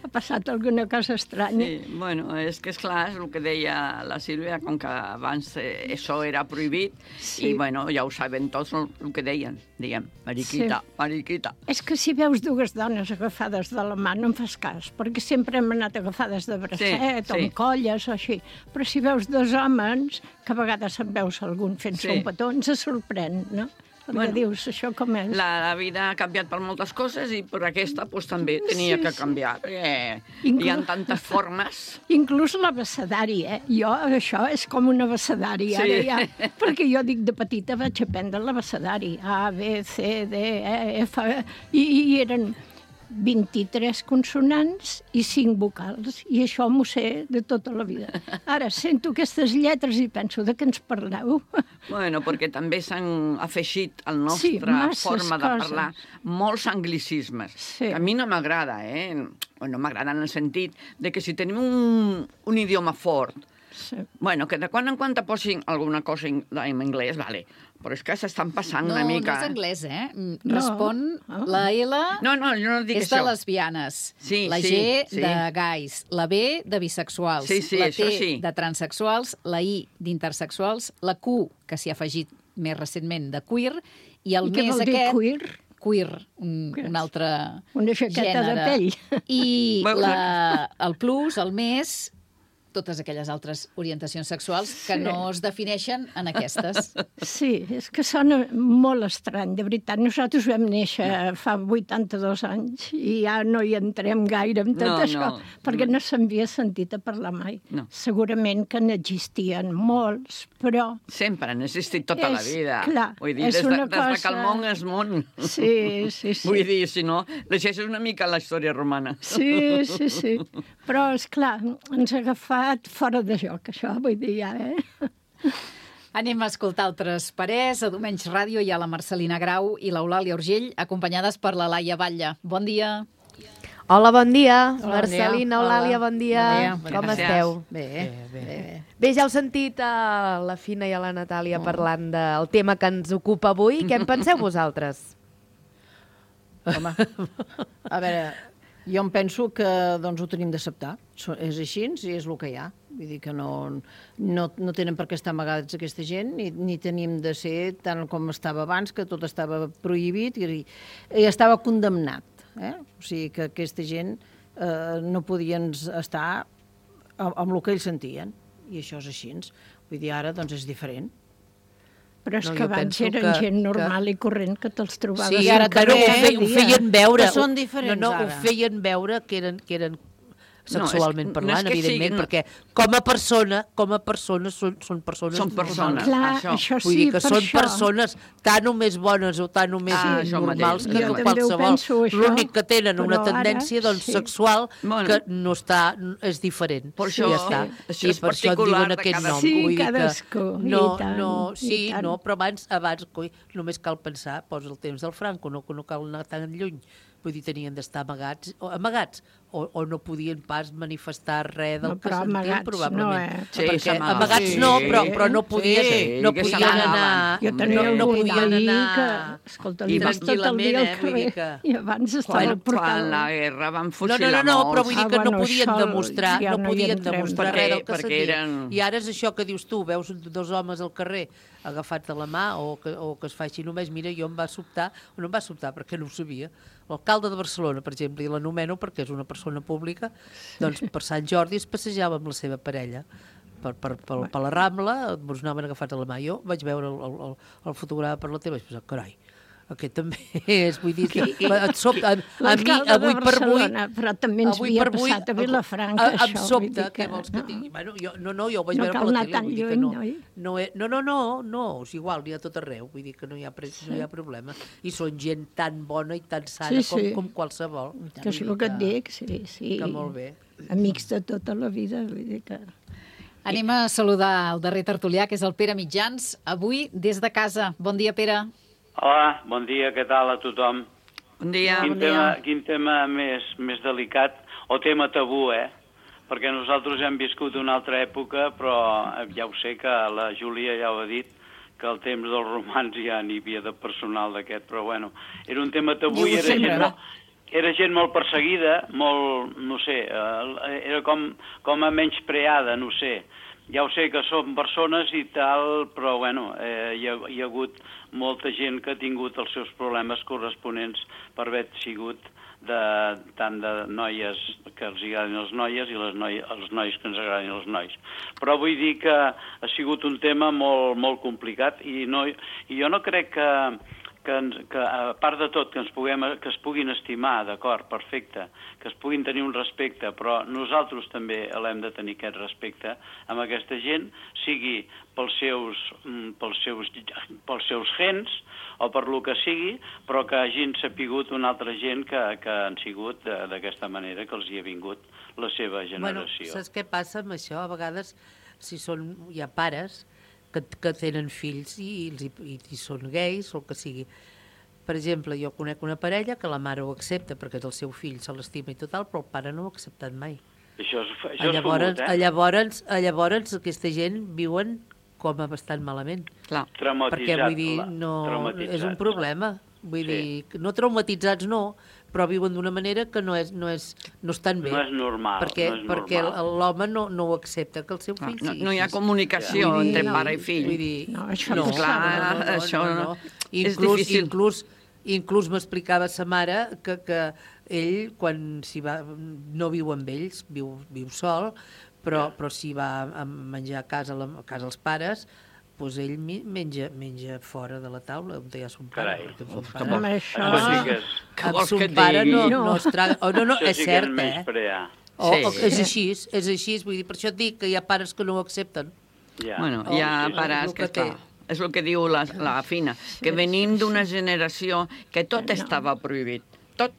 Ha passat alguna cosa estranya?
Sí, bueno, és que és clar, és el que deia la Sílvia, com que abans eh, això era prohibit, sí. I bueno, ja ho saben tots el, el que deien, diguem, mariquita, sí. mariquita.
És que si veus dues dones agafades de la mà no em fas cas, perquè sempre hem anat agafades de bracet, sí, o sí. amb colles o així, però si veus dos homes, que a vegades en veus algun fent-se sí. un petó, ens sorprèn, no? Perquè bueno, dius, això com és?
La, la vida ha canviat per moltes coses i per aquesta pues, també tenia sí, que canviar. Eh, Inclús... Hi ha tantes formes.
Inclús l'abecedari, eh? Jo, això és com un abecedari. Sí. Ara ja, perquè jo dic, de petita vaig aprendre l'abecedari. A, B, C, D, E, F... I, i eren vint-i-tres consonants i cinc vocals. I això m'ho sé de tota la vida. Ara sento aquestes lletres i penso, de què ens parleu?
Bueno, perquè també s'han afegit a la nostra sí, forma de
coses.
Parlar molts anglicismes, sí. que a mi no m'agrada, eh? No m'agrada en el sentit de que si tenim un, un idioma fort, sí. bueno, que de quan en quan te posin alguna cosa en, en anglès, vale, però és que s'estan passant
no,
una mica...
No, no és anglès, eh? Respon
no.
la L
no, no, jo no dic
és
això.
de lesbianes,
sí,
la
sí,
G
sí.
de gais, la B de bisexuals,
sí, sí,
la T
sí.
de transexuals, la I d'intersexuals, la Q, que s'hi ha afegit més recentment, de queer, i el
I
més
què vol dir
aquest...
queer?
Queer, un, un altre
Una jaqueta
gènere.
de pell.
I la, el plus, el més... totes aquelles altres orientacions sexuals que sí. no es defineixen en aquestes.
Sí, és que sona molt estrany, de veritat. Nosaltres vam néixer no. fa vuitanta-dos anys i ja no hi entrem gaire amb tot
no,
això,
no.
perquè no s'havia sentit a parlar mai.
No.
Segurament que n'existien molts, però...
Sempre han existit tota
és,
la vida.
Clar,
Vull dir,
és
des,
una
de,
cosa...
des de que el món és món.
Sí, sí, sí.
Vull dir, si no, llegeixes una mica la història romana.
Sí, sí, sí. Però, esclar, ens ha agafat fora de joc, això, vull dir, ja, eh?
Anem a escoltar altres parers. A Domenys Ràdio hi ha la Marcelina Grau i l'Eulàlia Urgell, acompanyades per la Laia Batlle. Bon dia.
Hola, bon dia.
Hola,
Marcelina,
bon dia.
Eulàlia, bon dia.
Bon dia.
Com
Gràcies.
esteu?
Bé, bé, bé.
Bé, ja heu sentit a la Fina i a la Natàlia parlant del tema que ens ocupa avui. Què en penseu vosaltres?
Home, a veure, jo em penso que doncs, ho tenim d'acceptar. So- És així i és el que hi ha. Vull dir que no, no, no tenen per què estar amagats aquesta gent, ni, ni tenim de ser tant com estava abans, que tot estava prohibit i, i estava condemnat. Eh? O sigui que aquesta gent eh, no podien estar amb, amb el que ells sentien, i això és així. Vull dir, ara doncs és diferent.
Però és
No,
que
jo
abans
penso
eren
que-
gent
que-
normal i corrent que te'ls trobaves.
Sí,
ara
però
també,
ho, fe, ho feien veure.
Que són
ho-
diferents,
no, no,
ara.
ho feien veure que eren, que eren sexualment
No, és- no
parlant,
és que
evidentment,
siguin-
perquè com a persona, com a persones són, són persones
Són persones.
normals.
Clar,
Això.
això,
Vull
sí,
dir que
per
són
això.
persones tan o més bones o tan o més
Ah, això
normals
mateix.
que
Jo
tu
també
ho
qualsevol.
penso, això,
L'únic que tenen una
però ara
tendència doncs,
sí.
sexual
Bueno.
que no està, és diferent.
Per això-
ja està.
això
I
és
per això et
particular
diuen
de
aquest
cada-
nom.
Sí,
Vull dir que
cadascú, i
no,
tant,
no,
i
sí,
tant.
no, però abans, abans coi, només cal pensar, posa el temps del Franco, no, no cal anar tan lluny. Vull dir, tenien d'estar amagats, o, amagats o, o no podien pas manifestar res del
No,
que
però
sentien,
amagats
probablement.
no, eh?
Sí,
Perquè
s'amagaven.
amagats
Sí,
no, però, però no
sí,
podien, no
que
podien
s'amagaven.
anar...
Jo tenia
no, no
algun
podien
veí
anar...
que, escolta,
I
li vas tot el dia
tranquil·lament,
al
eh, vull dir
carrer
que-
i abans estava
Quan,
al portal.
quan la guerra van
No,
fusilar
no, no, no,
molts.
però vull dir que
Ah,
no
bueno,
podien
això
demostrar,
ja
no
no hi
podien
entrem,
demostrar
perquè-
res del que
perquè
sentien.
eren-
I ara és això que dius tu, veus dos homes al carrer agafats de la mà o que, o que es fa així només. Mira, jo em va sobtar, o no em va sobtar perquè no ho sabia, l'alcalde de Barcelona, per exemple, i l'anomeno perquè és una persona pública, doncs per Sant Jordi es passejava amb la seva parella per, per, per, per la Rambla, ens anaven agafats a la mà. Jo vaig veure el, el, el, el fotograma per la tele i vaig pensar, carai, aquest també és, vull dir, et sobta, a, a mi,
L'alcalde
avui
de
per avui...
Barcelona, però també ens
avui
havia
per avui,
passat a Vilafranca,
a- Em
això. vull
sobta,
dir
què vols que
no.
tingui? Bueno, jo, no, no, jo ho vaig
No
veure
cal
per la
anar
tele,
tan
vull dir que
lluny,
no,
oi?
no, he- no, no, no, no, és igual, n'hi ha tot arreu, vull dir que no hi ha, pre- no hi ha problema. I són gent tan bona i tan sana
Sí,
com,
sí.
com qualsevol.
Que és el que et dic, sí, sí.
Que molt bé.
Amics de tota la vida, vull dir que...
Anem a saludar el darrer tertulià, que és el Pere Mitjans, avui des de casa. Bon dia, Pere.
Hola, bon dia, què tal a tothom?
Un dia...
Quin tema, quin tema més, més delicat, o tema tabú, eh? Perquè nosaltres hem viscut una altra època, però ja ho sé que la Júlia ja ho ha dit, que al temps dels romans ja n'hi havia de personal d'aquest, però bueno, era un tema tabú i era gent, molt, era gent molt perseguida, molt, no sé, eh, era com, com a menyspreada, no sé. Ja ho sé que són persones i tal, però bueno, eh, hi, ha, hi ha hagut molta gent que ha tingut els seus problemes corresponents per haver sigut de, tant de noies que els agradin les noies i les noi, els nois que ens agradin els nois. Però vull dir que ha sigut un tema molt, molt complicat i, no, i jo no crec que, que, que a part de tot que, ens puguem, que es puguin estimar, d'acord, perfecte, que es puguin tenir un respecte, però nosaltres també l'hem de tenir aquest respecte amb aquesta gent, sigui pels seus, pels seus, pels seus gens o per lo que sigui, però que hagin sapigut una altra gent que, que han sigut d'aquesta manera, que els hi ha vingut la seva generació.
Bueno, saps què passa amb això? A vegades, si són, hi ha pares que, que tenen fills i, i, i, i són gais o el que sigui. Per exemple, jo conec una parella que la mare ho accepta perquè és el seu fill, se l'estima i tot, però el pare no ho ha acceptat mai.
Això és, això és
llavors,
fumut, eh?
llavors, llavors aquesta gent viuen com a bastant malament.
Clar.
Perquè, vull dir, no, és un problema. Vull sí. dir, no traumatitzats no, però viuen d'una manera que no és, no és, no estan bé.
No és normal.
Perquè,
no és
perquè
normal.
l'home no, no ho accepta, que el seu fill
No,
sigui
no hi ha
així.
comunicació
Vull dir,
entre
no,
pare i fill.
Vull dir,
No, això
no,
no
clar,
no, no, no,
això
no,
no.
no.
És
Inclús,
difícil.
inclús, inclús m'explicava sa mare que, que ell, quan s'hi va, no viu amb ells, viu, viu sol, però, però si va a menjar a casa, a casa els pares, doncs ell menja, menja fora de la taula, on hi ha son pare.
Carai,
perquè son
que
pare,
Amb això...
Això sí que és...
Que
amb
vols
son
que et
pare
digui?
no,
No.
no es traga... Oh, no, no,
Això
és
sí que
cert,
és
eh?
menysprear.
O,
Sí.
o, és així, és així, vull dir, per això et dic que hi ha pares que no ho accepten.
Ja.
Bueno,
Oh,
hi ha
sí,
pares
el
que,
que té.
esclar, és el que diu la, la Fina, que venim d'una generació que tot estava prohibit. Tot.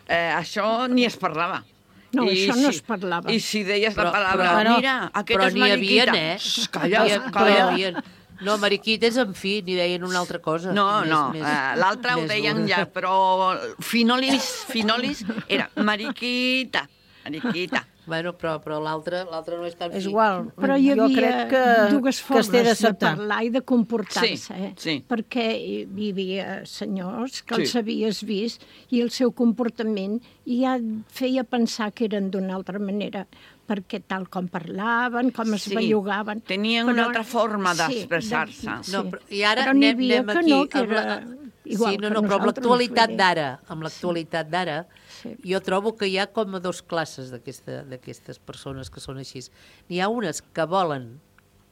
Eh, això ni es parlava.
No,
I
això no
si-
es parlava.
I si deies
Però-
la paraula,
però-
mira, aquest
però
és
n'hi havia,
mariquita.
eh?
Shh, Calla,
N'hi ha- però
calla.
n'hi havia-
No, Mariquita és en fi, ni deien una altra cosa.
No,
més,
no,
més,
uh, l'altre ho deien ja, però Finolis, Finolis era Mariquita, Mariquita.
Bueno, però, però l'altre l'altre no és tan fi.
És igual.
Però hi
jo
havia
crec que,
dues
que es té
formes de
d'acceptar.
parlar i de comportar-se,
Sí,
eh?
sí.
Perquè hi havia senyors que
Sí.
els havies vist i el seu comportament ja feia pensar que eren d'una altra manera, perquè tal com parlaven, com es
Sí.
bellugaven...
Tenien una altra forma d'expressar-se.
Sí,
No, però, I ara
però n'hi
anem,
havia
anem
que
aquí.
no, que
amb la-
era igual
sí, no,
que
no, però amb
nosaltres,
l'actualitat
vull dir.
d'ara, amb l'actualitat d'ara,
Sí.
jo trobo que hi ha com a dos classes d'aquesta- d'aquestes persones que són així. N'hi ha unes que volen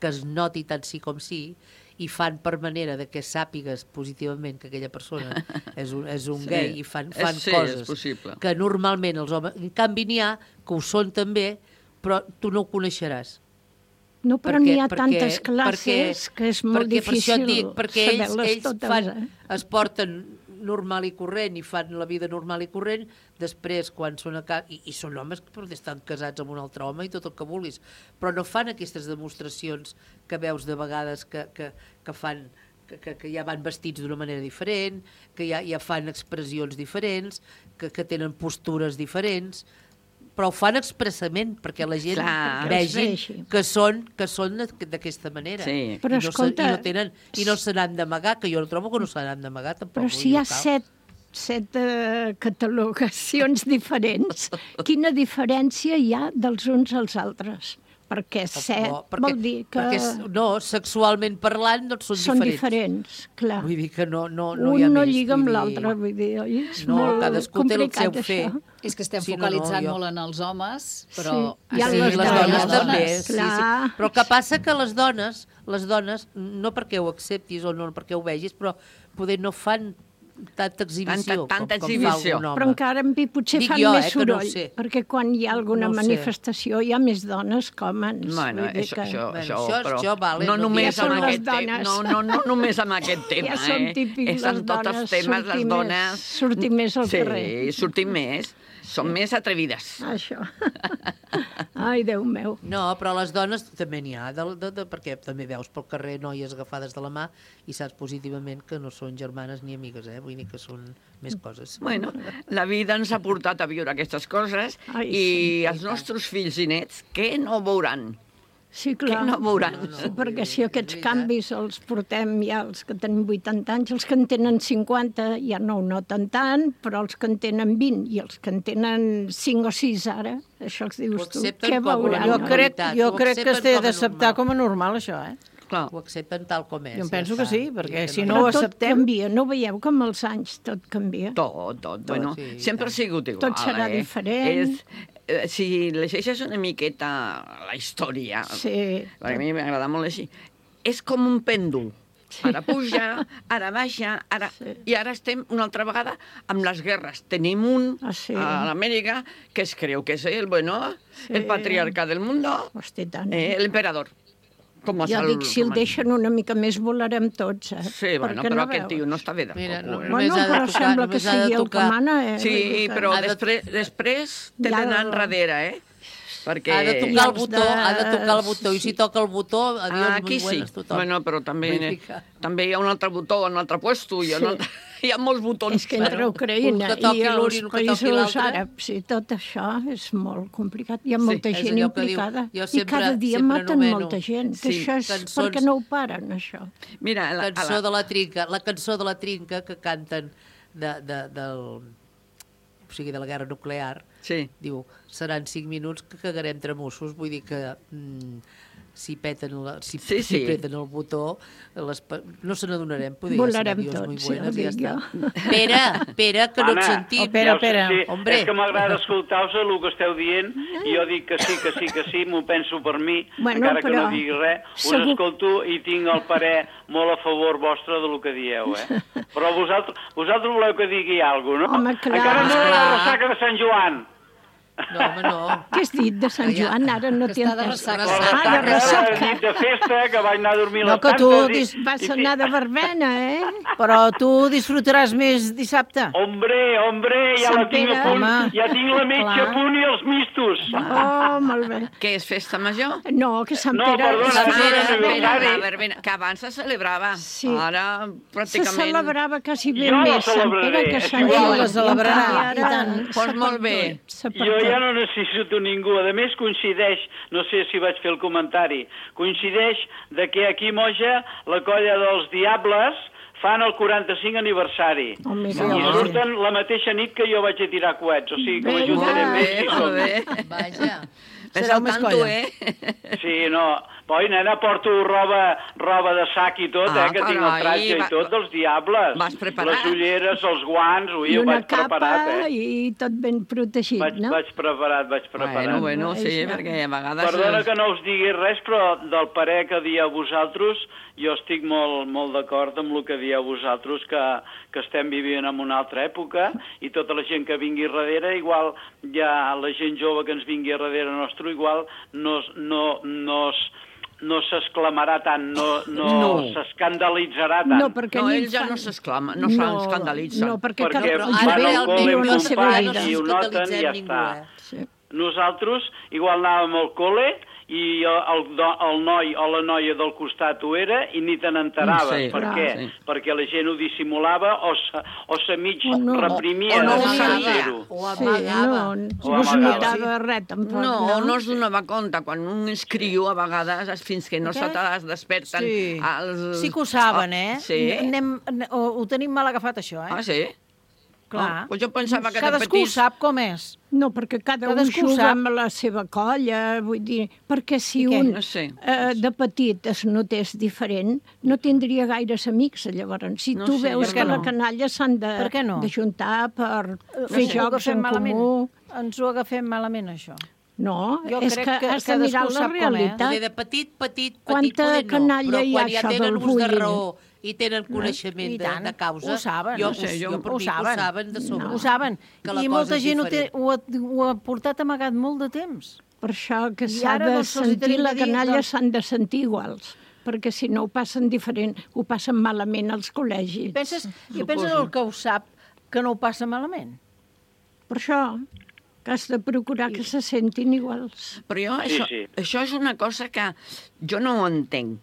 que es noti tant sí com sí i fan per manera de que sàpigues positivament que aquella persona és un, és un
Sí.
gay i fan, fan
És- sí, és
coses
possible.
que normalment els homes... En canvi n'hi ha que ho són també, però tu no ho coneixeràs.
No, però
Perquè-
n'hi ha
perquè-
tantes classes
perquè-
que és molt
perquè per això
difícil
et dic, perquè ells,
saber-les
ells
totes,
fan,
eh?
es porten normal i corrent i fan la vida normal i corrent, després quan són a casa, i, i són homes que potser estan casats amb un altre home i tot el que vulguis, però no fan aquestes demostracions que veus de vegades que, que, que fan que, que, que ja van vestits d'una manera diferent, que ja, ja fan expressions diferents, que, que tenen postures diferents, però ho fan expressament perquè la gent
Clar.
vegi
vegi.
que són, que són d'aquesta manera.
Sí.
Però
I no,
escolta,
se, i no, tenen, i no se n'han d'amagar, que jo no trobo que no se n'han d'amagar tampoc.
Però
vull
si hi
dir,
ha
cal.
set, set uh, catalogacions diferents, quina diferència hi ha dels uns als altres? Perquè set
No,
vol dir que
perquè, no, sexualment parlant, doncs són,
són
diferents.
diferents, clar.
Vull dir que no, no, no
Un
hi ha
no
més.
lliga
vull
amb
dir-
l'altre, vull dir, oi? És
No,
molt
cadascú té el
complicat,
seu fer.
això.
És que estem
Sí, no, no,
focalitzant
jo-
molt en els homes, però...
Sí, hi ha
sí,
les
les
dones,
dones també, sí, sí.
clar.
Però el que passa que les dones, les dones, no perquè ho acceptis o no perquè ho vegis, però poder no fan tanta exhibició
Tanta- tanta
com, com
exhibició.
fa algun home.
Però encara en fi potser
Dic
fan
jo,
més
eh, que no ho
soroll,
sé.
perquè quan hi ha alguna
No ho sé.
manifestació hi ha més dones que homes.
Bueno,
vull dir
això,
que...
això,
Bueno,
això,
això-
però
això vale,
no
no
només
Ja són
amb
les
aquest tema,
dones.
no, no, no només amb aquest tema,
Ja són
eh?
típics
És en
les
tots els
dones,
temes, les
sortir més-
dones...
sortir més al
sí,
carrer.
Sí, sortir més, són més atrevides.
Això. Ai, Déu meu.
No, però les dones també n'hi ha, de, de, de, perquè també veus pel carrer noies agafades de la mà i saps positivament que no són germanes ni amigues, eh? Vull dir que són més coses.
Bueno, la vida ens ha portat a viure aquestes coses
Ai,
i
sí.
els nostres fills i nets, què no veuran?
Sí, clar.
Que no veuran.
No, no,
Sí, perquè si
és
aquests
veritat.
canvis els portem ja els que tenen vuitanta anys, els que en tenen cinquanta ja no ho noten tant, però els que en tenen vint i els que en tenen cinc o sis ara, això els dius
Ho
tu,
accepten
què
com a
veuran?
Jo
no?
crec,
Veritat,
jo
ho
crec que es té
accepten com a
d'acceptar
normal.
com a normal, això, eh?
Clar.
Ho accepten tal com és.
Jo em
ja
penso que
està.
sí, perquè
I que
si
Però
no ho
tot
acceptem...
canvia, no veieu com els anys tot canvia?
Tot, tot. Bueno,
sí, i
sempre ha
tant.
sigut igual.
Tot serà
eh?
diferent.
És, eh, si llegeixes una miqueta la història,
Sí.
perquè a mi m'agrada molt així, és com un pèndol. Ara puja, ara baixa, ara...
Sí.
i ara estem una altra vegada amb les guerres. Tenim un
Ah, sí.
a l'Amèrica que es creu que és el, bueno,
Sí.
el patriarca del mundo,
Hosti, tant.
eh, l'emperador. Com
Ja
el
dic, si el
romà.
deixen una mica més volarem tots, eh?
Sí, bueno,
Perquè
però
no
aquest
veus?
tio no està bé de
Mira,
tot.
no-
eh?
només
Bueno,
ha de
però
tocar-
sembla que
només ha de
sigui el que
tocar-
mana, eh? Vull
Sí,
dir que-
però
Ha de-
després, després té
Ja
d'anar
el-
enrere, eh? Perquè...
Ha de
I
tocar el
els
botó,
de-
ha de tocar el botó, i si toca el botó, adiós,
Ah,
muy
aquí sí.
buenas, tothom.
Bueno, però també,
Vull dir que-
també hi ha un altre botó, un altre puesto, hi ha, un altre, hi ha molts botons.
És que entre
Bueno,
Ucraïna
un que toqui
i
l'un
els
i un que toqui
països
l'altre.
àrabs i tot això és molt complicat. Hi ha molta
és
gent
allò que diu,
implicada.
jo
I
sempre-
cada dia
sempre
maten
anomeno-
molta gent. Que
Sí,
això és
cançons-
perquè no ho paren, això.
Mira, la,
Cançó
la,
de la trinca, la cançó de la trinca que canten de, de, del, o sigui, de la guerra nuclear,
sí.
diu, seran cinc minuts que cagarem tramussos, vull dir que mm, si peten, la, si,
Sí,
si
sí.
peten el botó, les, pa- no se n'adonarem, poder
Volarem
ser adiós, muy
tots, ja
buenas,
ho
i ja
dic
està.
jo.
Pere, Pere, que no et
Anna,
sentim.
Oh, Pere,
ja ho sé,
Pere.
sí,
Hombre.
és que m'agrada escoltar-vos el que esteu dient i jo dic que sí, que sí, que sí, m'ho penso per mi,
Bueno,
encara que
però
no digui res, us
segur-
escolto i tinc el parer molt a favor vostre del que dieu, eh? Però vosaltres, vosaltres voleu que digui alguna cosa, no?
Home, clar.
Encara no era la ressaca de Sant Joan.
No, home, no.
Què has dit de Sant Joan? Ara no t'hi
està de
entès.
ressaca.
Ah, de
He
ressaca.
dit de festa, que vaig anar a dormir a
No,
les
que tu
tantes.
dis-
i-
Vas
i-
anar de verbena, eh?
Però tu disfrutaràs més dissabte.
Hombre, hombre, ja
Sant
la tinc a
Pere.
punt.
Home,
Ja tinc la metge
clar.
a punt i els mistos.
Oh, molt bé.
Què és festa major?
No, que Sant
No,
Pere...
perdona,
Sant
és
Pere-
aniversari.
La verbena, que abans se celebrava.
Sí.
Ara,
Se
pràcticament...
celebrava quasi bé
Jo la
més Sant
celebraré,
Pere que
és
Sant
igual.
Joan.
La celebrarà,
I ara
i tant.
s'ha
Pues molt bé.
perdut, s'ha
Jo
perdut.
ja no necessito ningú. A més, coincideix, no sé si vaig fer el comentari, coincideix de que aquí a Moja la colla dels Diables fan el quaranta-cinc aniversari.
Oh, mira,
Sí,
I
home.
surten la mateixa nit que jo vaig a tirar coets. O sigui, que
Vinga.
m'ajuntaré
Molt
més
bé,
si
molt
som.
bé.
Vaja.
Ves
Sereu
al
més
tanto,
colla.
eh?
Sí, no. Oi, nena, porto roba, roba de sac i tot,
Ah,
eh, que tinc el
carai,
tratge
va-
i tot dels Diables.
vas preparat.
Les ulleres, els guants, ui,
I
ho
una
vaig preparat,
capa
eh?
i tot ben protegit,
Vaig,
no?
vaig preparat, vaig preparat.
Bueno, bueno, sí,
Vaja.
perquè a vegades...
Perdona que no us digui res, però del parer que dieu vosaltres, jo estic molt, molt d'acord amb el que dieu vosaltres, que, que estem vivint en una altra època, i tota la gent que vingui darrere, igual ja la gent jove que ens vingui darrere nostre, igual no, es- no, no, es- no s'exclamarà tant, no, no,
No.
s'escandalitzarà tant.
No, perquè
No,
ni
ells ja
fan-
no s'exclamen, no s'escandalitzen.
No, perquè,
Perquè
perquè
van
el jove
al col·le
viu
amb
la seva
companys
vida.
i ho noten i ja
ningú,
està.
eh?
Sí.
Nosaltres igual anàvem al col·le i el, do- el noi o la noia del costat ho era i ni te n'enteraves.
Sí,
per
clar.
què?
Sí.
Perquè la gent ho dissimulava o se, o se mig
O no.
reprimia
O no
de
ho
no
sabia.
fer-ho.
O
Sí,
amagava.
no,
O
no es
amagava.
notava res, tampoc,
No,
no?
no es donava compte. Quan un escriu, a vegades, és fins que no
Què?
se te desperten
Sí.
els...
Sí que ho saben, eh?
Sí?
Anem, ho, ho tenim mal agafat, això, eh?
Ah, sí?
Clar.
Oh, pues jo pensava que de
Cadascú
petits...
sap com és.
No, perquè cada
Cadascú
un juga
sap.
amb la seva colla, vull dir, perquè si
I què?
un
No sé.
eh, de petit es notés diferent, no tindria gaires amics, llavors. Si
No
tu
sé,
veus
per
que
què
la
no?
canalla s'han de,
Per què no?
de juntar per
No
fer
sé, ho
jocs
agafem
en
malament.
comú...
Ens ho agafem malament, això.
No,
Jo
és
crec
que,
que
has de
cadascú
mirar la
sap com és.
realitat.
Poder de petit, petit, petit,
Quanta
poder no.
canalla
Però
hi ha
quan ja
això
tenen
del
ús de
bullying?
raó i tenen coneixement
I
de,
tant,
de causa...
ho saben.
Jo,
No sé,
jo,
jo-
per
ho
mi
saben.
que ho saben de sobre.
Ho saben.
Que la
I
cosa
molta
és
gent ho, té,
diferent.
ho, ha, ho ha portat amagat molt de temps.
Per això que
I
s'ha
ara,
de
doncs, els hi
sentir,
tenim
la
de dir,
canalla
doncs-
s'han de sentir iguals, perquè si no ho passen diferent, ho passen malament als col·legis.
I penses, i penses el que ho sap que no ho passa malament?
Per això que has de procurar que se sentin iguals.
Però jo,
Sí,
això,
sí.
això és una cosa que jo no ho entenc.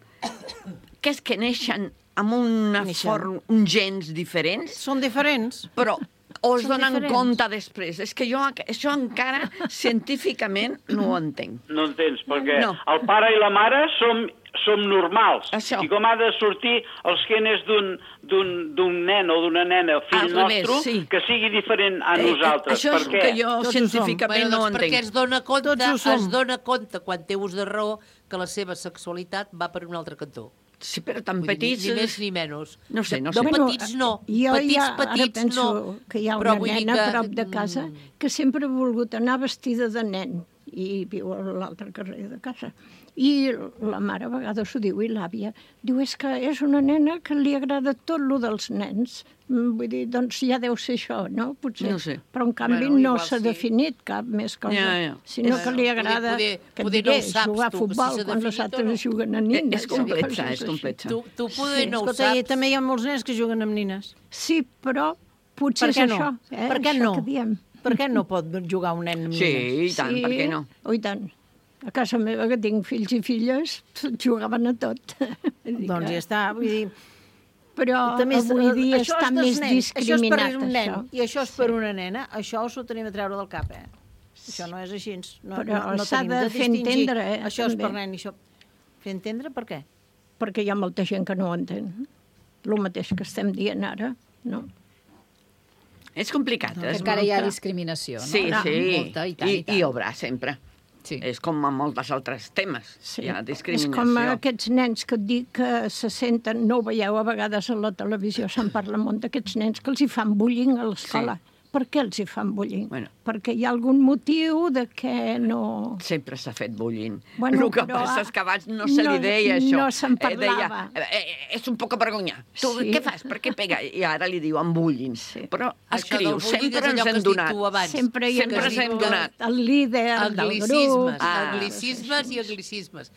Que és que neixen amb una
Neixen.
forma, uns gens diferents,
Són diferents.
però o es
Són
donen
diferents.
compte després. És que jo això encara científicament no ho entenc.
No entens, perquè
No.
el pare i la mare som, som normals.
Això.
I com ha de sortir els genes d'un d'un d'un nen o d'una nena, fill
Al revés,
nostre,
sí.
que sigui diferent a
Eh,
nosaltres.
Això és
per què?
que jo
Tots ho som.
científicament
Bueno,
no ho
doncs perquè
entenc.
es dona compte,
Tots ho som.
es dona compte, quan té ús de raó, que la seva sexualitat va per un altre cantó.
Sí, però tan
Vull dir,
petits...
Ni, ni més ni menys.
No sé, no
de,
sé.
De
Bueno,
petits no.
Jo
petits,
ja, ara
petits
penso
no.
que hi ha
Però
una
vull dir
nena a
que,
prop de casa
mm,
que sempre ha volgut anar vestida de nen i viu a l'altre carrer de casa. I la mare a vegades ho diu, i l'àvia, diu, és que és una nena que li agrada tot lo dels nens. Mm, Vull dir, doncs ja deu ser això, no? Potser.
No sé.
Però en canvi
Bueno,
no
igual
s'ha
sí.
definit cap més cosa,
Ja, ja.
sinó
És-
que li
poder-
agrada,
poder-
que et
poder no ho
diré,
saps
jugar a
tu, que si
futbol
s'ha
quan les
definit o
altres
no.
juguen a
Eh,
nines.
És
o
complexa,
coses
és
així.
complexa.
Tu, tu poder no ho
Escolta, i
saps.
també hi ha molts nens que juguen amb nines.
Sí, però potser
Per què
és
no?
això. Eh?
Per què
això
no?
Que diem.
Per què no pot jugar un nen amb
Sí,
nines?
i tant, per què no?
Oh, i tant. A casa meva, que tinc fills i filles, jugaven a tot. Vull dir
Doncs
que-
ja està, vull dir...
Però
També és-
avui dia
això
està
és dels
més
nens,
discriminat,
això. és per un nen
això.
i això és per una nena, això us ho tenim a treure del cap, eh? Això no és així. No,
Però
no, no
s'ha
tenim
de fer
distingir.
entendre, eh,
Això és
també.
per nen i això... Fer entendre per què?
Perquè hi ha molta gent que no ho entén. El mateix que estem dient ara, no?
És complicat.
Que
és
encara hi ha
molt-
discriminació, no?
Sí,
Ah,
sí.
Molta, i tant,
I,
i tant.
I hi haurà sempre.
Sí.
És com amb molts altres temes.
Sí.
Hi ha
És
discriminació.
com aquests nens que et dic que se senten, no ho veieu a vegades a la televisió, se'n parla molt d'aquests nens que els hi fan bullying a l'escola. per què els hi fan bullying?
Bueno.
Perquè hi ha algun motiu de que no...
Sempre s'ha fet bullying.
Bueno,
el que
però,
passa és que abans no se li
no-
deia això.
no se'n
Eh, deia,
parlava.
eh, eh, és un poc vergonya. Tu
Sí.
què fas? Per què pega? I ara li diuen bullying.
Sí.
Però
Això del
escriu,
bullying
sempre
és allò
ens
que
hem
has dit
donat.
tu abans.
Sempre hi
Sempre
hem
ens hem
dit
donat.
el líder del grup.
Anglicismes,
Ah.
anglicismes i anglicismes.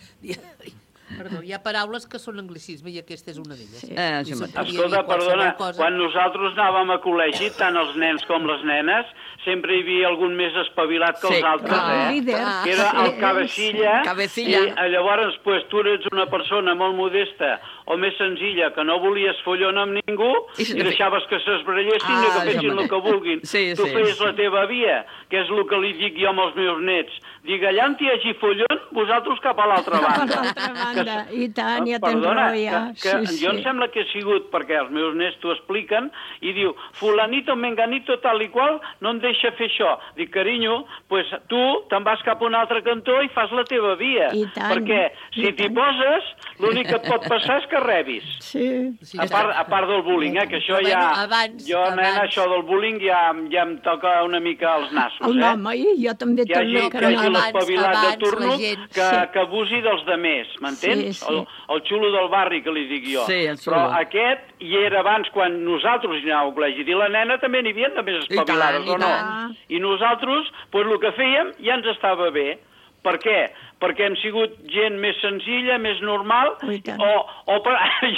Perdó, hi ha paraules que són anglicisme i aquesta és una d'elles.
Sí.
Eh, sí,
I se'n
mateix.
podia
Escolta,
dir qualsevol
perdona,
cosa.
quan nosaltres anàvem a col·legi, tant els nens com les nenes, sempre hi havia algun més espavilat que
Sí,
els altres,
clar.
eh?
El líder.
Que era el
Sí.
cabecilla,
Cabecilla.
i eh, llavors pues, tu eres una persona molt modesta o més senzilla, que no volies follon amb ningú
I
i,
se-
deixaves que s'esbrellessin
Ah,
i que
això
fessin el
mateix.
que vulguin.
Sí,
tu
sí.
feies la teva via, que és el que li dic jo als meus nets. Dic, allà on hi hagi follon, vosaltres cap a l'altra
Cap a
banda.
l'altra banda.
Que-
I tant, ja tens
Perdona,
raó, ja.
que, que
Sí,
jo
sí.
em sembla que he sigut, perquè els meus nets t'ho expliquen, i diu, fulanito, menganito, tal i qual, no em deixa fer això. Dic, carinyo, pues, tu te'n vas cap a un altre cantó i fas la teva via.
I tant,
perquè si
i
t'hi
tant.
poses, l'únic que et pot passar és que rebis.
Sí.
Sí,
A part, a part del bullying, eh, que això
Però,
ja...
bueno, abans-
jo, nena,
abans-
això del bullying ja, ja em toca una mica els nassos,
El
eh?
nom, oi? Jo també
Que hi hagi,
també
que hi hagi
abans-
l'espavilat de
abans
turno
la gent-
que,
sí.
que abusi dels demés, m'entens?
Sí, sí.
El, el xulo del barri, que li dic jo.
Sí, el xulo.
Però aquest hi era abans, quan nosaltres hi anàvem al col·legi, i la nena també n'hi havia de més
I tant,
espavilades,
i
o no?
tant.
I nosaltres, doncs el que fèiem ja ens estava bé. Per què? Perquè hem sigut gent més senzilla, més normal,
Oh, i tant.
o, o per,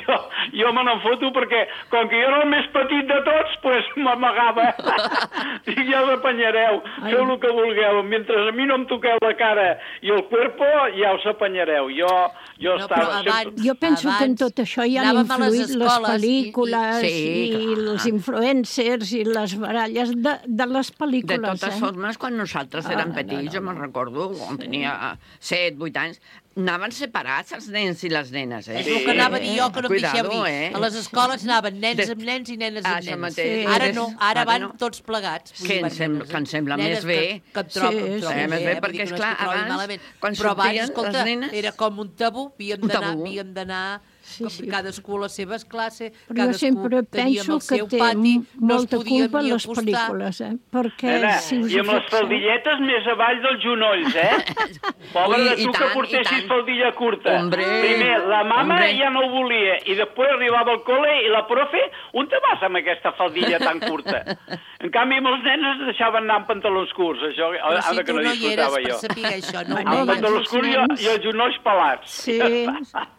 jo, jo me n'en foto perquè, com que jo era el més petit de tots, doncs m'amagava. Dic, ja us apanyareu,
Ai.
feu el que vulgueu. Mentre a mi no em toqueu la cara i el cuerpo, ja us apanyareu. Jo, jo
No,
estava...
però abans-
Jo penso que en
abans
tot això hi han
anàvem a les
influït les
escoles i-
pel·lícules
i-
i,
Sí,
i
clar.
els influencers i les baralles de, de les
De
pel·lícules.
totes
eh?
formes, quan nosaltres érem
Ah,
petits,
no,
jo me'n recordo, quan tenia set, vuit anys, anaven separats els nens i les nenes, eh?
És el que anava a dir jo, que no em
Cuidado,
deixeu dir.
eh?
A les escoles anaven nens
Des-
amb nens i nenes
Ah,
amb
això
nenes.
mateix.
Ara
Des-
no, ara
ara
van
no.
tots plegats. Vull
Que
dir,
em
van
sem-
nenes-
que em sembla
nenes
més bé.
Que, que em trobo,
Sí,
em trobo
sí.
Més bé,
vull dir
perquè,
que no és
esclar,
que ho trobi
abans,
malament.
quan
Però abans,
sortien
escolta,
les nenes-
era com un tabú, havien
Un
d'anar,
tabú.
havien d'anar
Sí,
com
sí.
cadascú a les seves classes,
Però jo
cadascú
sempre
teníem
penso
el
que
seu
té
pati, no es
molta
podien
culpa
ni
les
acostar.
pel·lícules, eh? Perquè
Nena,
si us
I amb les
fixeu-
faldilletes més avall dels genolls, eh? Pobre
Ui,
de
i
tu que
tant, i
portessis
tant.
faldilla curta.
Hombre,
Primer, la mama
hombre.
ja no ho volia, i després arribava al col·le i la profe, on te vas amb aquesta faldilla tan curta? En canvi, molts nens es deixaven anar amb pantalons curts, això,
Però
ara
si
que
tu
no
no hi eres
disfrutava
per
jo.
saber això, no
Bueno,
ho
Amb
abans
veies.
pantalons
els
curts i,
nens-
i els genolls pelats.
Sí,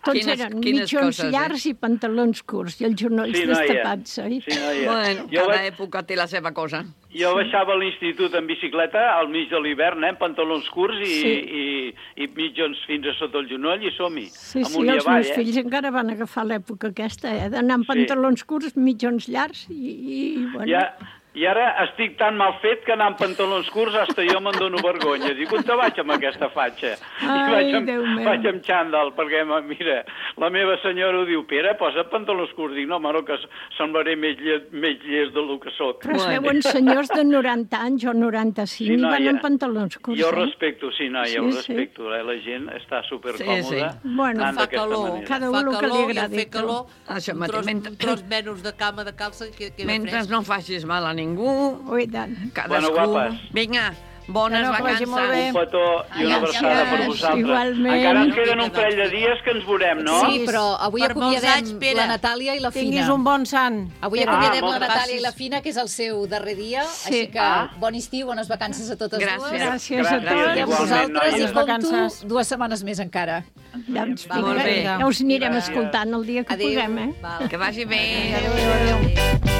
tots
Quines-
eren
quines
mitjons
coses, eh?
llargs i pantalons curts i els genolls
Sí, noia.
destapats, oi?
Sí, noia.
Bueno,
Jo
cada
vaig-
època té la seva cosa.
Jo baixava a l'institut en bicicleta al mig de l'hivern, eh, amb pantalons curts i,
Sí.
i, i mitjons fins a sota el genoll i som-hi.
Sí, sí,
amunt i
els
avall,
meus
eh?
fills encara van agafar l'època aquesta, eh? D'anar amb
Sí.
pantalons curts, mitjons llargs i, i bueno...
Ja, I ara estic tan mal fet que anar amb pantalons curts hasta jo me'n dono vergonya. Dic, on te vaig amb aquesta fatxa?
Ai,
I vaig amb,
Déu meu.
vaig amb xandall, perquè, ma- mira, la meva senyora ho diu, Pere, posa pantalons curts. Dic, no, home, no, que semblaré més llest, més llest del que soc.
Però es veuen senyors de noranta anys o noranta-cinc
Sí,
i van
noia.
amb pantalons curts,
Jo
eh?
respecto, sí, noia,
Sí,
ho
sí.
respecto. Eh? La gent està supercòmoda.
Sí, sí.
Bueno,
anant
Fa
d'aquesta
calor,
manera.
Cada un
fa
el que li
calor, i al
agradi,
fer calor,
Això
un
mateix,
tros,
mentre-
un tros menys de cama de calça que queda
Mentre
fresc.
no facis mal a ningú,
Oh, i tant.
cadascú...
Bueno, guapes.
Vinga, bones
Que no, que vagi molt bé.
vacances.
Un petó i una
Ai,
abraçada per
gràcies,
vosaltres.
igualment.
Encara ens queden
Vinga,
un parell de
doncs,
dies que ens veurem, no?
Sí, però avui
Per molts
acomiadem
anys, Pere.
la Natàlia i la Fina.
Tinguis un bon sant.
Avui
Pere.
acomiadem
Ah,
la
moltes
Natàlia i
gràcies.
la Fina, que és el seu darrer dia,
Sí.
així que
Ah.
bon estiu, bones vacances a totes
Gràcies.
dues.
Gràcies a
Gràcies,
tots.
I a
igualment,
vosaltres,
noies.
i
Bones
com
vacances.
tu, dues setmanes més encara.
Doncs,
Va,
vinga,
molt bé.
ja us anirem
Gràcies.
escoltant el dia que
Adéu.
puguem, eh?
Val.
Que vagi bé.
Adéu, adéu.